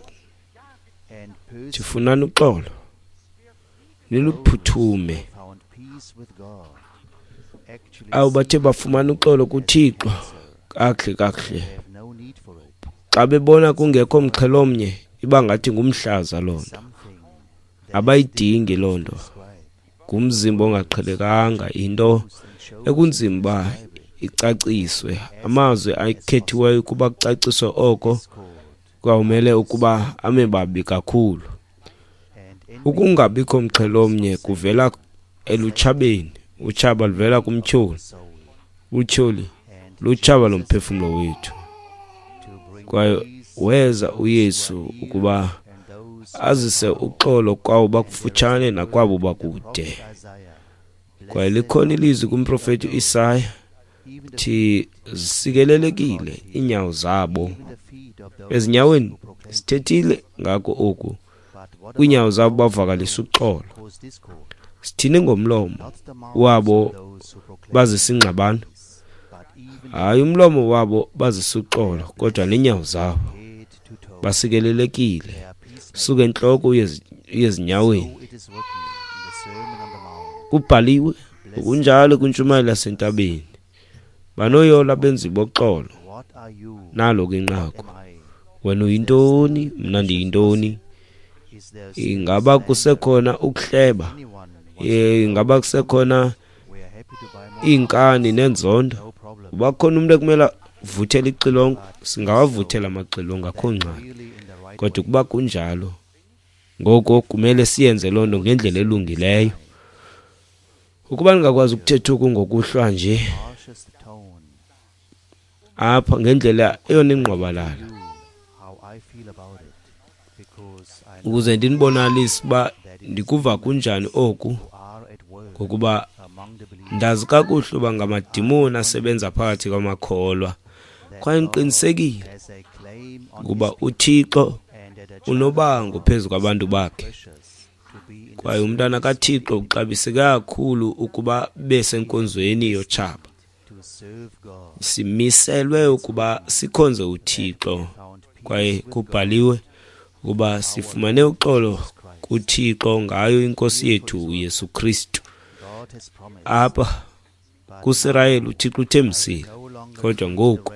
Sifunani uxolo, niluphuthume. Abo bathe bafumana uxolo kuThixo kakuhle kakuhle, xa bebona kungekho mxhelo omnye, iba ngathi ngumhlaza loo nto. Abayidingi loo nto. Ngumzimba ongaqhelekanga, into ekunzima uba icaciswe. Amazwi akhethiweyo ukuba kucaciswe oko kwawumele ukuba ame babi kakhulu. Ukungabikho mxhelo omnye kuvela elutshabeni. Utshaba luvela kumtyholi. Utyholi lutshaba lomphefumlo wethu. Kwaye weza uYesu ukuba azise uxolo kwabo bakufutshane nakwabo bakude. Kwaye likhona ilizwi kumprofeti uIsaya Thi zisikelelekile iinyawo zabo. Ezinyaweni sithethile ngako oku, kwiinyawo zabo bavakalisa uxolo. Sithini ngomlomo wabo bazisa ingxabano? Hayi, umlomo wabo bazisa uxolo, kodwa neenyawo zabo basikelelekile. Suka entloko uye ezinyaweni. Kubhaliwe ngokunjalo kwintshumayelo yasentabeni. Banoyolo abenzi boxolo. Nalo ke inqaku. Wena uyintoni? Mna ndiyintoni? Ingaba kusekhona ukuhleba? Ingaba kusekhona iinkani nenzondo? Uba khona umntu ekumele vuthele ixilongo, singawavuthela amaxilongo, akho ngxaki. Kodwa ukuba kunjalo, ngoko kumele siyenze loo nto ngendlela elungileyo. Ukuba ndingakwazi ukuthetha oku ngokuhlwa nje apha ngendlela eyona ingqwabalala, ukuze ndinibonalise uba ndikuva kunjani oku, ngokuba ndazi kakuhle uba ngamadimoni asebenza phakathi kwamakholwa, kwaye ndiqinisekile ukuba uThixo unobango phezu kwabantu bakhe, kwaye umntwana kaThixo uxabiseke kakhulu ukuba besenkonzweni yotshaba. Simiselwe ukuba sikhonze uThixo, kwaye kubhaliwe ukuba sifumane uxolo kuThixo ngayo iNkosi yethu uYesu Kristu. Apha kuSirayeli uThixo uthembisile, kodwa ngoku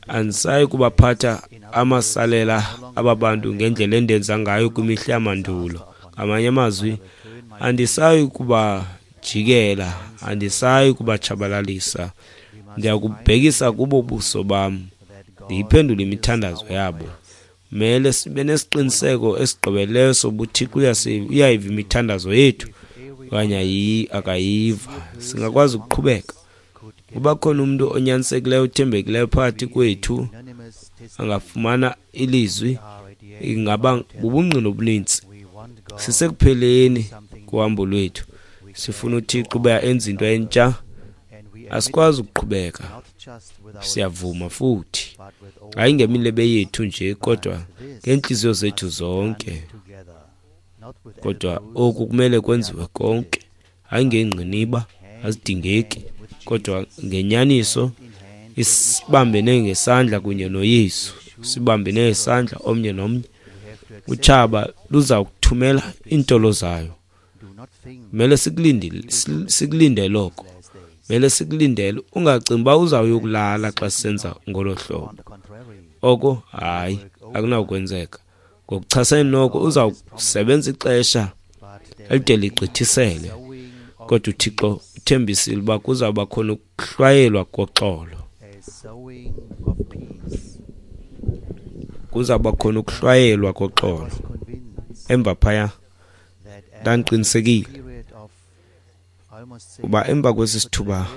andisayi kubaphatha amasalela aba bantu ngendlela endenza ngayo kwimihla yamandulo. Ngamanye amazwi, andisayi kubajikela, andisayi kubatshabalalisa. Ndiyakubhekisa kubo ubuso bam, ndiyiphendule imithandazo yabo. Mele sibe nesiqiniseko esigqibeleleyo soba uThixo uyayiva imithandazo yethu okanye akayiva. Singakwazi ukuqhubeka. Uba khona umntu onyanisekileyo, othembekileyo phakathi kwethu angafumana ilizwi, ingaba bubungqina obuninzi. Sisekupheleni kuhambo lwethu. Sifuna uThixo uba enze into entsha. Asikwazi ukuqhubeka. Siyavuma futhi, hayi ngemilebe yethu nje, kodwa ngeentliziyo zethu zonke. Kodwa oku kumele kwenziwe konke, hayi ngeengqiniba, azidingeki, kodwa ngenyaniso, isibambene ngesandla kunye noYesu, sibambene ngesandla omnye nomnye. Utshaba luza kuthumela iintolo zayo. Mele sikulinde loko. Mele sikulindele. Ungacingi uba uzawuyokulala xa sisenza ngolo hlobo. Oko hayi, akunawukwenzeka. Ngokuchasene noko uzawusebenza ixesha elide ligqithisele. Kodwa uThixo uthembisile uba kuzawuba khona ukuhlwayelwa koxolo. Kuzawuba khona ukuhlwayelwa koxolo. Emva phaya ndandiqinisekile uba emva kwesi sithuba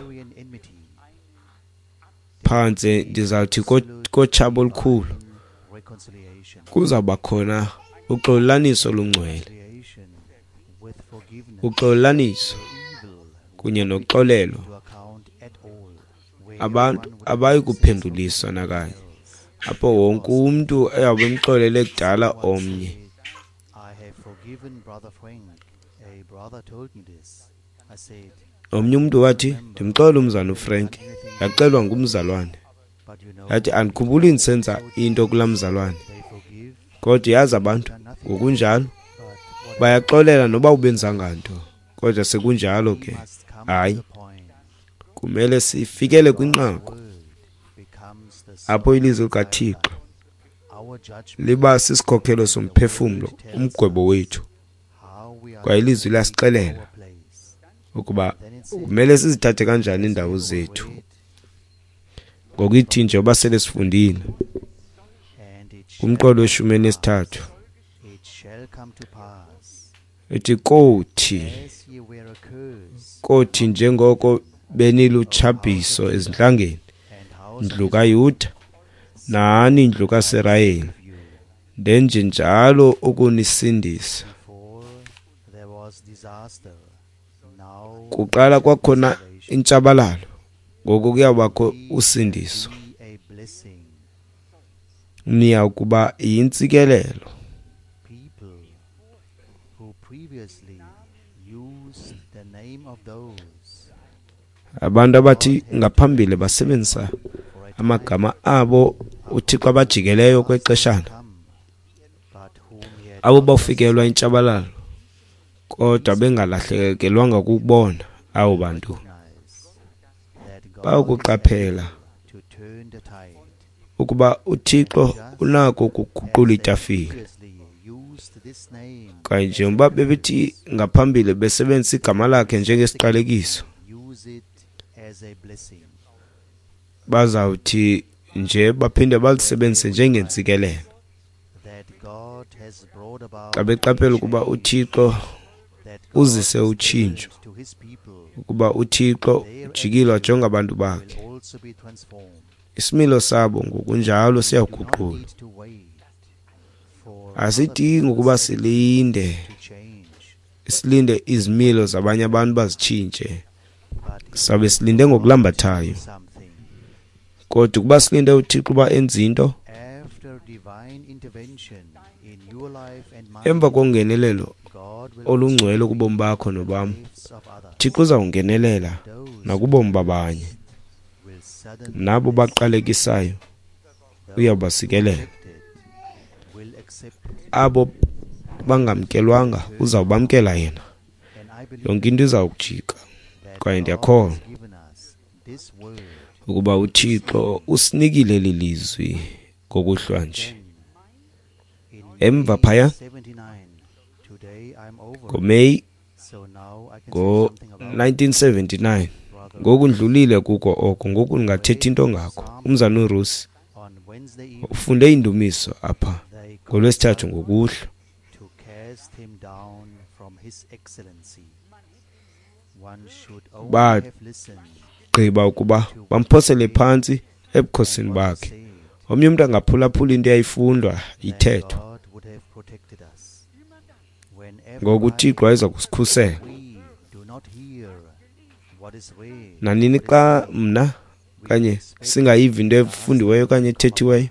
phantse ndizawuthi kotshaba olukhulu kuzawuba khona uxolelaniso olungcwele, uxolelaniso kunye noxolelo. Abantu abayi kuphenduliswa nakanye, apho wonke umntu eyawube emxolele kudala omnye. Omnye umntu wathi, ndimxolela umzalwane uFrank. Yaxelwa ngumzalwane. Yathi, andikhumbuli ndisenza into kulaa mzalwane. Kodwa yazi abantu ngokunjalo bayaxolela noba ubenzanga nto. Kodwa sekunjalo ke, hayi, kumele sifikele kwinqaku apho ilizwi likaThixo liba sisikhokhelo somphefumlo, umgwebo wethu. Kwaye ilizwi liyasixelela ukuba kumele sizithathe kanjani iindawo zethu. Ngokuyithi nje uba sele sifundile kumqolo weshumi elinesithathu, ethi kothi njengoko benilutshabhiso ezintlangeni, ndlu kaYuda nani ndlu kaSirayeli, ndenje njalo ukunisindisa. Kuqala kwakhona intshabalalo, ngoku kuyawubakho usindiso. Niya kuba yintsikelelo. Abantu abathi ngaphambili basebenzisa amagama abo uThixo abajikeleyo kwexeshana, abo bafikelwa intshabalalo kodwa bengalahlekelwanga kukubona, abo bantu bayokuqaphela ukuba uThixo unako ukuguqula itafile. Kanye njengoba bebethi ngaphambili besebenzisa igama lakhe njengesiqalekiso, bazawuthi nje baphinde balisebenzise njengentsikelelo. Xa beqaphela ukuba uThixo uzise utshintsho, ukuba uThixo ujikile wajonga abantu bakhe, isimilo sabo ngokunjalo siyaguqulwa. Asidingi ukuba silinde izimilo zabanye abantu bazitshintshe, sabe silinde ngokulambathayo. Kodwa ukuba silinde uThixo uba enze into, emva kongenelelo olungcwele kubomi bakho nobam, uThixo uzawungenelela nakubomi babanye. Nabo baqalekisayo uyabasikelela, abo bangamkelwanga uzawubamkela yena. Yonke into izawujika. Kwaye ndiyakholwa ukuba uThixo usinikile eli lizwi ngokuhlwa nje. Emva phaya ngoMeyi ngo-1979, ngoku ndlulile kuko oko, ngoku ndingathetha into ngako. Umzana uRusi ufunde indumiso apha ngoLwesithathu ngokuhlwa. Bagqiba ukuba bamphosele phantsi ebukhosini bakhe. Omnye umntu angaphulaphula into eyayifundwa ithethwa. Ngoku uThixo wayeza kusikhusela. Nanini xa mna kanye singayivi into efundiweyo okanye ethethiweyo,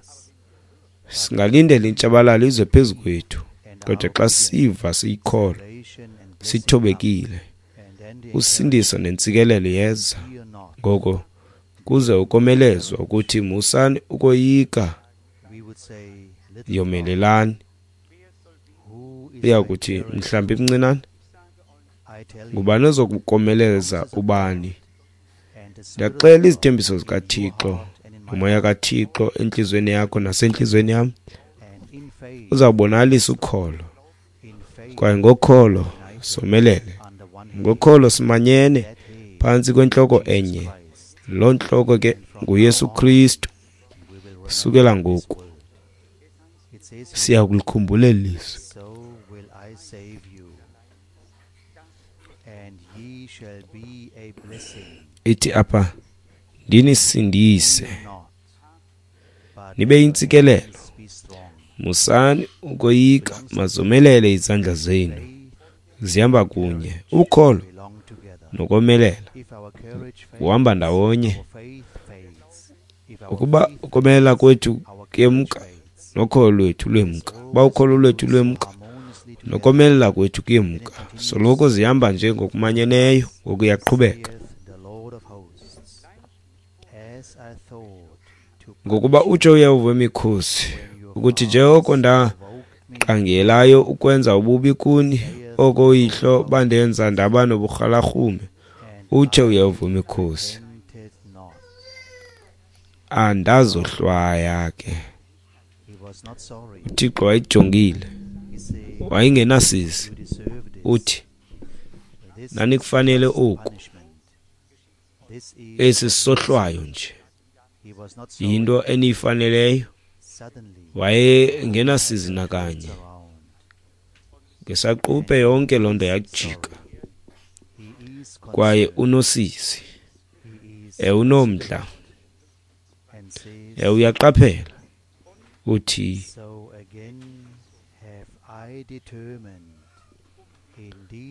singalindela intshabalalo ize phezu kwethu. Kodwa xa siva siyikholwa, sithobekile, usindiso nentsikelelo yeza. Ngoko kuze ukomelezwa ukuthi musani ukoyika, yomelelani. Uyakuthi mhlambi mncinane, ngubani ozokukomeleza ubani? Ndiyaxela izithembiso zikaThixo, umoya kaThixo entliziyweni yakho nasentliziyweni yam uzawubonakalisa ukholo. Kwaye ngokholo somelele, ngokholo simanyene phantsi kwentloko enye. Loo ntloko ke nguYesu Kristu. Sukela ngoku siya kulikhumbula eli lizwi. Ithi apha, ndinisindise nibe yintsikelelo. Musani ukoyika, mazomelele izandla zenu. Zihamba kunye ukholo nokomelela, kuhamba ndawonye. Ukuba ukomelela kwethu kuyemka, nokholo lwethu lwemka. Uba ukholo lwethu lwemka, nokomelela kwethu kuyemka. Soloko zihamba nje ngokumanyeneyo, ngokuyaqhubeka. Ngokuba utsho uYehova wemikhosi ukuthi, njengoko ndaqangelayo ukwenza ububi kuni, oko uyihlo bandenza ndaba noburhalarhume, utsho uYehova wemikhosi, andazohlwaya ke. uThixo wayejongile, wayengenasizi. Uthi, nanikufanele oku, esi sisohlwayo nje, yinto eniyifaneleyo. Wayengenasizi nakanye. Ngesaquphe yonke loo nto yajika. Kwaye unosizi, unomdla, uyaqaphela. Uthi,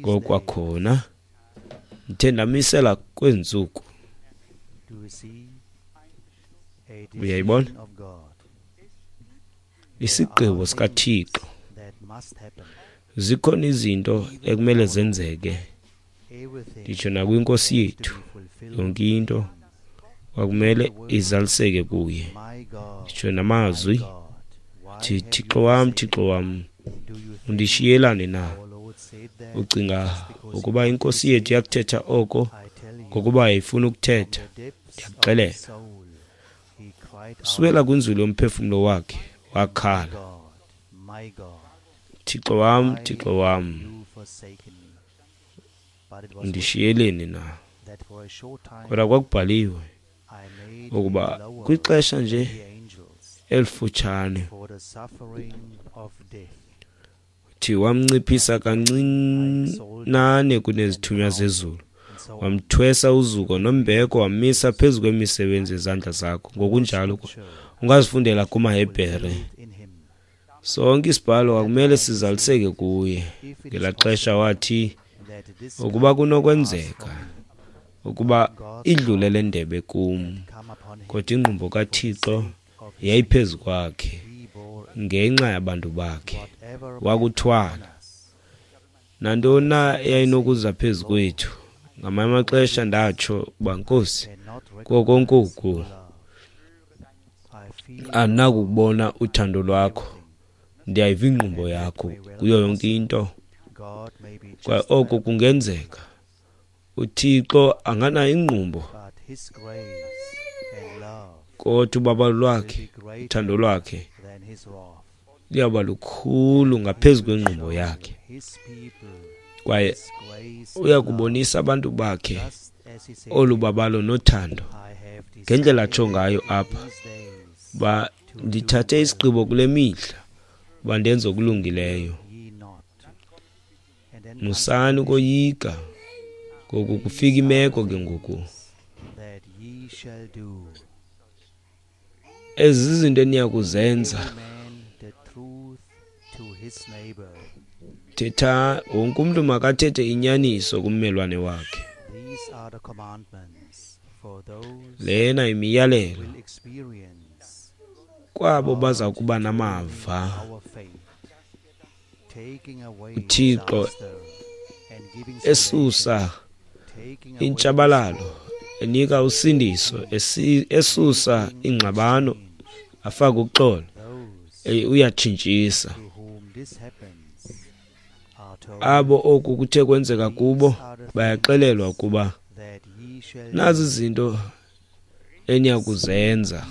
ngokwakhona Ndithe ndamisela kwezi ntsuku. Uyayibona? Isigqibo sikaThixo. Zikhona izinto ekumele zenzeke, nditsho nakwiNkosi yethu. Yonke into kwakumele izaliseke kuye, nditsho namazwi thi, Thixo wam, Thixo wam, undishiyelani na? Ucinga ukuba iNkosi yethu yakuthetha oko ngokuba yayifuna ukuthetha? Ndiyakuxelela, sukela kwinzulu yomphefumlo wakhe wakhala, Thixo wam, Thixo wam, undishiyeleni na? Kodwa kwakubhaliwe ukuba kwixesha nje elifutshane thi wamnciphisa kancinane kunezithunywa zezulu, wamthwesa uzuko nombeko, wamisa phezu kwemisebenzi yezandla zakho. Ngokunjalo ungazifundela kumaHebhere. Sonke isibhalo akumele sizaliseke kuye. Ngelaa xesha wathi, ukuba kunokwenzeka ukuba idlule le ndebe kum, kodwa ingqumbo kaThixo yayiphezu kwakhe ngenxa yabantu bakhe. Wakuthwala nantoni na eyayinokuza phezu kwethu. Ngamanye amaxesha ndatsho uba, Nkosi, kuko konke oku andinakukubona uthando lwakho, ndiyayiva ingqumbo yakho kuyo yonke into. Kwaye oko kungenzeka uThixo anganayo ingqumbo, kodwa ubabalo lwakhe, uthando lwakhe liyawuba lukhulu ngaphezu kwengqumbo yakhe. Kwaye uyakubonisa abantu bakhe olu babalo nothando ngendlela atsho ngayo apha, uba ndithathe isigqibo kule mihla uba ndenze okulungileyo. Musani ukoyika. Ngoku kufika imeko ke ngoku. Ezi zizinto eniya kuzenza. Thetha, wonke umntu makathethe inyaniso kummelwane wakhe. Lena imiyalelo kwabo baza kuba namava uThixo esusa intshabalalo, enika usindiso, esusa ingxabano, afake uxolo, uyatshintshisa. Abo oku kuthe kwenzeka kubo bayaxelelwa ukuba nazi izinto eniyakuzenza.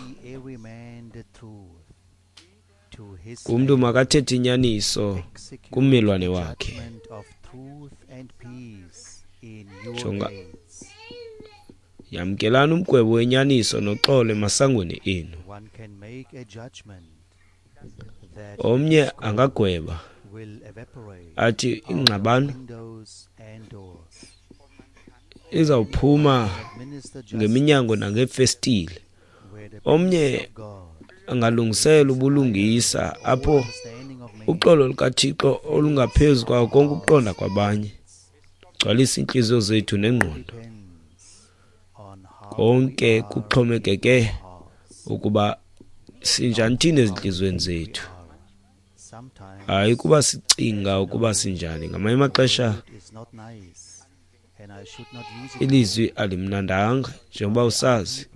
Umntu makathethe inyaniso kummelwane wakhe. Jonga, yamkelani umgwebo wenyaniso noxolo emasangweni enu. Omnye angagweba athi ingxabano izawuphuma ngeminyango nangeefestile. Omnye angalungisela ubulungisa apho uxolo lukaThixo olungaphezu kwawo konke ukuqonda kwabanye gcwalisa iintliziyo zethu nengqondo. Konke kuxhomekeke ukuba sinjani thina ezintliziyweni zethu, hayi kuba sicinga ukuba sinjani. Ngamanye amaxesha ilizwi alimnandanga, njengoba usazi,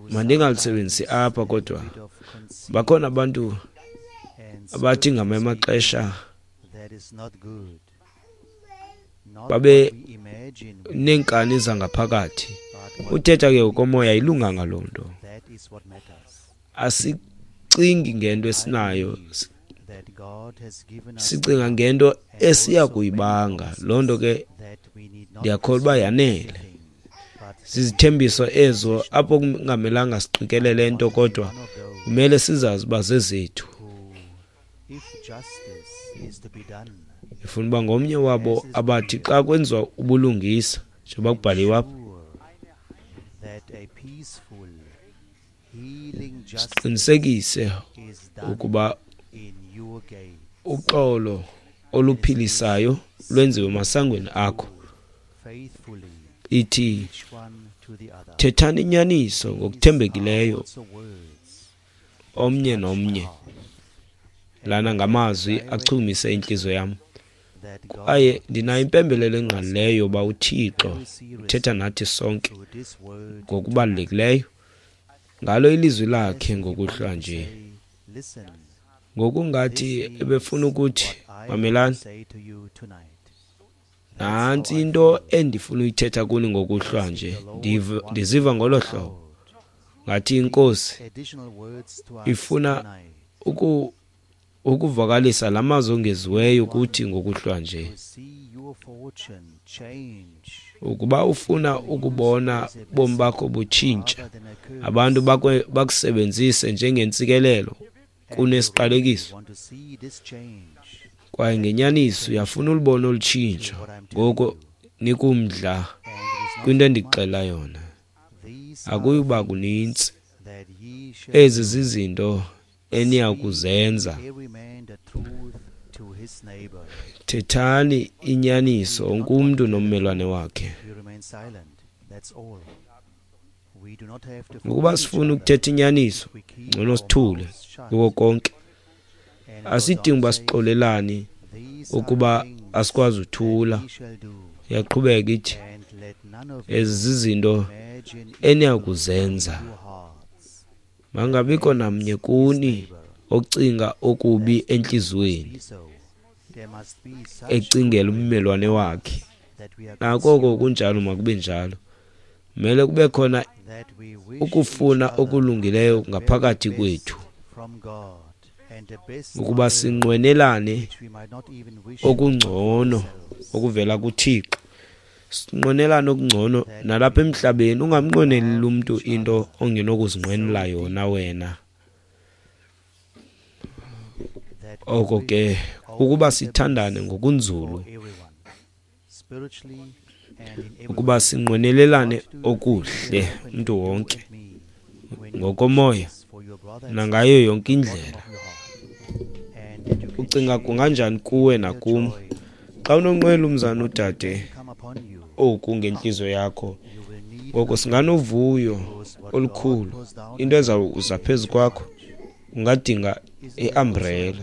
mandingalisebenzisi apha, kodwa bakhona abantu abathi ngamanye amaxesha babe neenkani zangaphakathi. Uthetha ke ngokomoya, ayilunganga loo nto. Asicingi ngento esinayo, sicinga ngento esiya kuyibanga. Loo nto ke ndiyakholwa uba yanele. Zizithembiso ezo apho kungamelanga siqikelele nto, kodwa kumele sizazi uba zezethu. Ndifuna uba ngomnye wabo abathi xa kwenziwa ubulungisa, njengoba kubhaliwe apha, siqinisekise ukuba uxolo oluphilisayo lwenziwe emasangweni akho. Ithi, thethani inyaniso ngokuthembekileyo omnye nomnye. Lana ngamazwi achukumise intliziyo yam, kwaye ndinayo impembelelo engqalileyo yoba uThixo uthetha nathi sonke ngokubalulekileyo ngalo ilizwi lakhe ngokuhlwa nje. Ngokungathi ebefuna ukuthi, mamelani, nantsi into endifuna uyithetha kuni ngokuhlwa nje. Ndiziva ngolo hlobo, ngathi iNkosi ifuna ukuvakalisa la mazwi ongeziweyo kuthi ngokuhlwa nje. Ukuba ufuna ukubona ubomi bakho butshintsha, abantu bakusebenzise njengentsikelelo kunesiqalekiso, kwaye ngenyaniso uyafuna ulibona olu tshintsho, ngoko nikumdla kwinto endikuxelela yona. Akuyuba kunintsi. Ezi zizinto eniya kuzenza. Thethani inyaniso wonke umntu nommelwane wakhe. Ngokuba sifuna ukuthetha inyaniso, ngcono sithule kuko konke. Asidingi uba sixolelane ukuba asikwazi uthula. Iyaqhubeka ithi, ezi zizinto eniya kuzenza. Mangabikho namnye kuni ocinga okubi entliziyweni, ecingela ummelwane wakhe. Nakoko kunjalo, makube njalo. Kumele kube khona ukufuna okulungileyo ngaphakathi kwethu, ukuba sinqwenelane okungcono okuvela kuThixo. Sinqwenelane okungcono nalapha emhlabeni. Ungamnqweneli umntu into ongenokuzinqwenela yona wena. Oko ke ukuba sithandane ngokunzulu, ukuba sinqwenelelane okuhle umntu wonke ngokomoya nangayo yonke indlela. Ucinga kunganjani kuwe nakum xa unonqwela umzana udade oku ngentliziyo yakho? Ngoko singanovuyo olukhulu. Into ezawuza phezu kwakho, ungadinga iumbrella,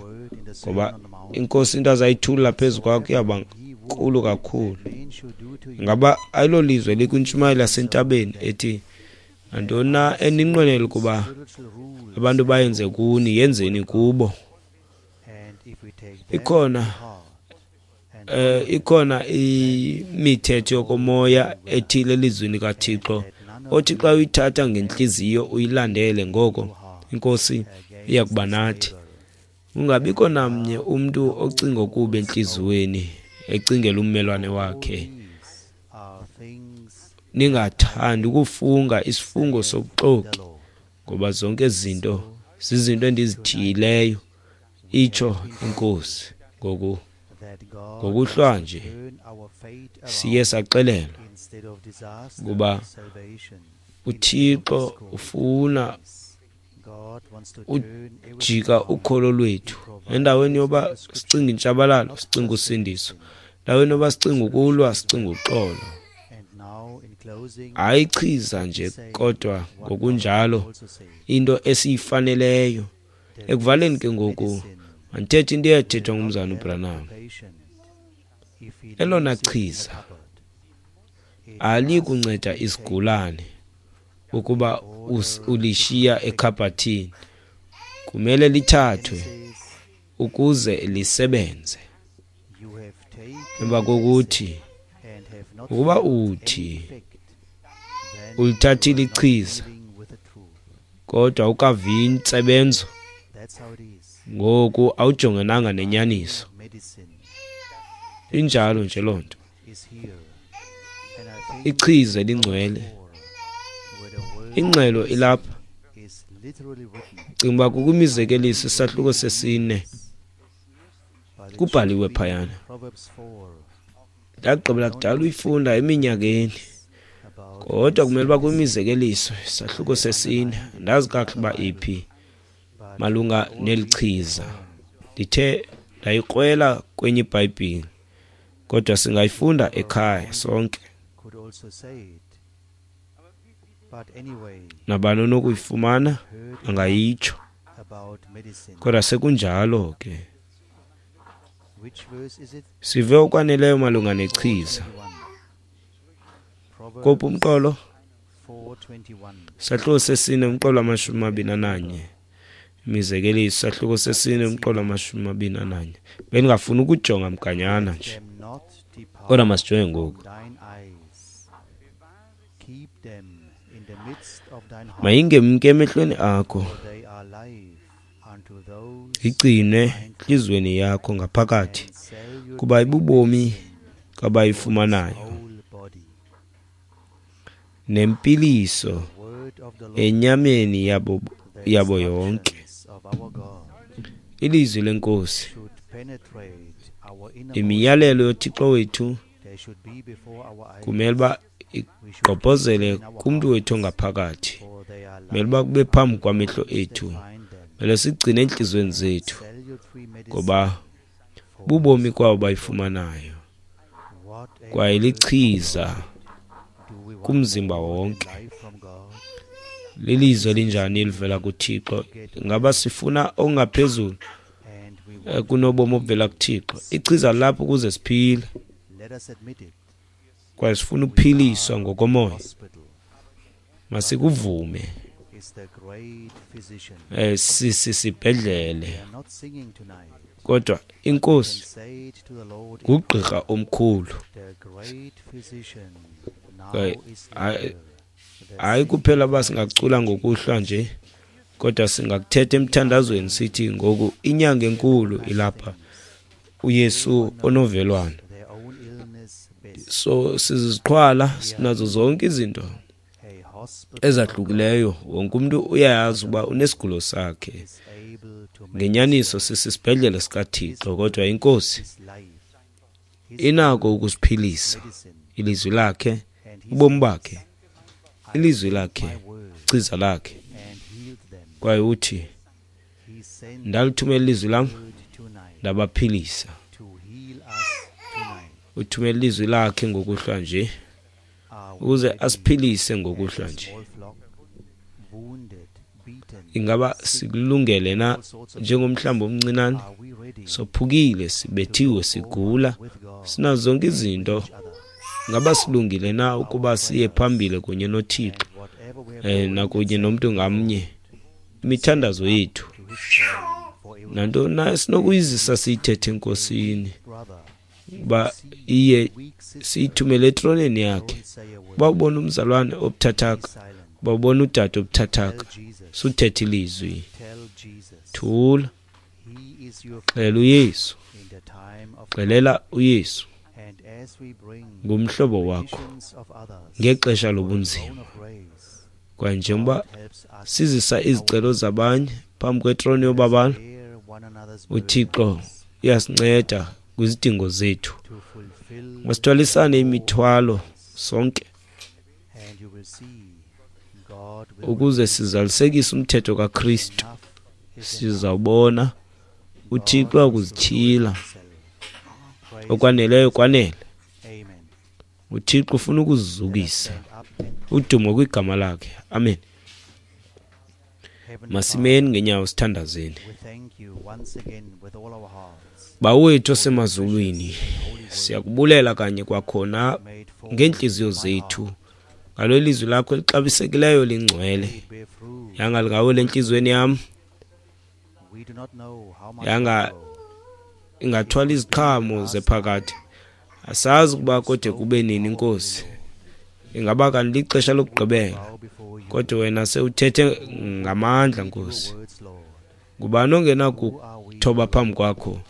ngoba iNkosi into azayithulula phezu kwakho iyawuba nkulu kakhulu. Ngaba ayilolizwe likwintshumayelo yasentabeni ethi, nantoni na eninqwenela ukuba abantu bayenze kuni, yenzeni kubo. Ikhona imithetho yokomoya ethile elizwini likaThixo othi xa uyithatha ngentliziyo uyilandele, ngoko iNkosi iya kuba nathi. Kungabikho namnye umntu ocinga okubi entliziyweni, ecingela ummelwane wakhe. Ningathandi ukufunga isifungo sobuxoki, ngoba zonke ezi zinto zizinto endizithiyileyo, itsho iNkosi. Ngoku ngokuhlwa nje siye saxelelwa ukuba uThixo ufuna ujika ukholo lwethu. Endaweni yoba sicinga intshabalalo, sicinga usindiso. Endaweni yoba sicinga ukulwa, sicinga uxolo. Hayi chiza nje, kodwa ngokunjalo into esiyifaneleyo. Ekuvaleni ke ngoku, mandithethe into eyathethwa ngumzana uBranham. Elona chiza alikunceda isigulane ukuba ulishiya ekhabhathini, kumele lithathwe ukuze lisebenze. Emva kokuthi ukuba uthi ulithathile ichiza kodwa ukavi intsebenzo, ngoku awujongenanga nenyaniso. Injalo nje loo nto. Ichiza elingcwele, ingxelo ilapha. Cinga uba kukwimizekeliso isahluko 4 kubhaliwe phayana. Ndagqibela kudala uyifunda eminyakeni, kodwa kumele uba kwimizekeliso isahluko 4, andazi kakuhle uba iphi malunga neli chiza. Ndithe ndayikrwela kwenye iBhayibhile, kodwa singayifunda ekhaya sonke. Nabani onokuyifumana angayitsho. Kodwa sekunjalo ke, sive okwaneleyo malunga nechiza. Kophi umqolo? Sahluko sesine umqolo 21. Imizekeliso sahluko sesine umqolo 21. Bendingafuni ukujonga mganyana nje, kodwa masijonge ngoku. Mayingemke emehlweni akho, igcine entliziyweni yakho ngaphakathi, kuba ibubomi kwabayifumanayo, nempiliso enyameni yabo yonke. Ilizwi leNkosi, imiyalelo yoThixo wethu kumele uba igqobhozele kumntu wethu ongaphakathi, kumele uba kube phambi kwamehlo ethu, kumele sigcine entliziyweni zethu, ngoba bubomi kwabo bayifumanayo, kwaye lichiza kumzimba wonke. Lilizwi elinjani elivela kuThixo? Ngaba sifuna okungaphezulu kunobomi obuvela kuThixo? Ichiza lapho ukuze siphile, kwaye sifuna ukuphiliswa ngokomoya. Masikuvume. Sisibhedlele, kodwa iNkosi ngugqirha omkhulu. Hayi kuphela uba singacula ngokuhlwa nje, kodwa singakuthetha emthandazweni sithi ngoku inyanga enkulu ilapha, uYesu onovelwano. So siziqhwala, sinazo zonke izinto ezahlukileyo. Wonke umuntu uyayazi uba unesigulo sakhe. Ngenyaniso sisisibhedlele sikaThixo, kodwa iNkosi inako ukusiphilisa. Ilizwi lakhe, ubomi bakhe, ilizwi lakhe, ichiza lakhe. Kwaye uthi, ndalithumela ilizwi lam, ndabaphilisa. Uthumela ilizwi lakhe ngokuhlwa nje, ukuze asiphilise ngokuhlwa nje. Ingaba sikulungele na njengomhlambi omncinane? Sophukile, sibethiwe, sigula, sinazo zonke izinto. Ngaba silungile na ukuba siye phambili kunye noThixo nakunye nomntu ngamnye? Imithandazo yethu nantoni na sinokuyizisa siyithethe eNkosini, uba iye siyithumele etroneni yakhe. Uba ubona umzalwane obuthathaka, uba ubona udade obuthathaka, suthetha ilizwi, thula, xelela uYesu, xelela uYesu ngumhlobo wakho ngexesha lobunzima. Kwaye njengoba sizisa izicelo zabanye phambi kwetroni yobabalo, uThixo uyasinceda kwizidingo zethu. Masithwalisane imithwalo sonke ukuze sizalisekise umthetho kaKristu. Sizawubona uThixo akuzityhila okwaneleyo kwanele. uThixo ufuna ukuzizukisa. Udumo kwigama lakhe. Amen. Masimeni ngenyawo sithandazeni. Bawo wethu osemazulwini, siyakubulela kanye kwakhona ngeentliziyo zethu ngalo lizwi lakho elixabisekileyo lingcwele. Yanga lingawela entliziyweni yam, yanga ingathwala iziqhamo zephakade. Asazi ukuba kode kube nini, Nkosi. Ingaba kanti lixesha lokugqibela, kodwa wena sewuthethe ngamandla, Nkosi. Ngubani ongenakuthoba phambi kwakho?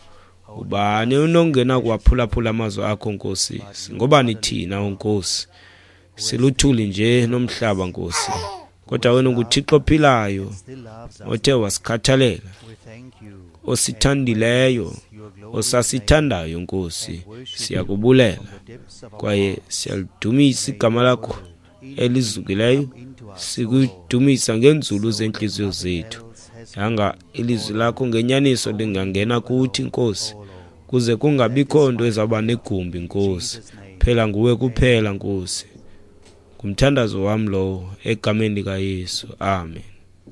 Ubani ongenakuwaphulaphula amazwi akho, Nkosi? Singobani thina, Nkosi? Siluthuli nje nomhlaba, Nkosi. Kodwa wena unguThixo ophilayo, othe wasikhathalela, osithandileyo, osasithandayo, Nkosi. Siyakubulela kwaye siyalidumisa igama lakho elizukileyo, sikudumisa ngeenzulu zeentliziyo zethu. Yanga ilizwi lakho ngenyaniso lingangena kuthi, Nkosi, kuze kungabikho nto ezawuba negumbi, Nkosi. Phela nguwe kuphela, Nkosi. Ngumthandazo wam lowo, egameni likaYesu. Amen.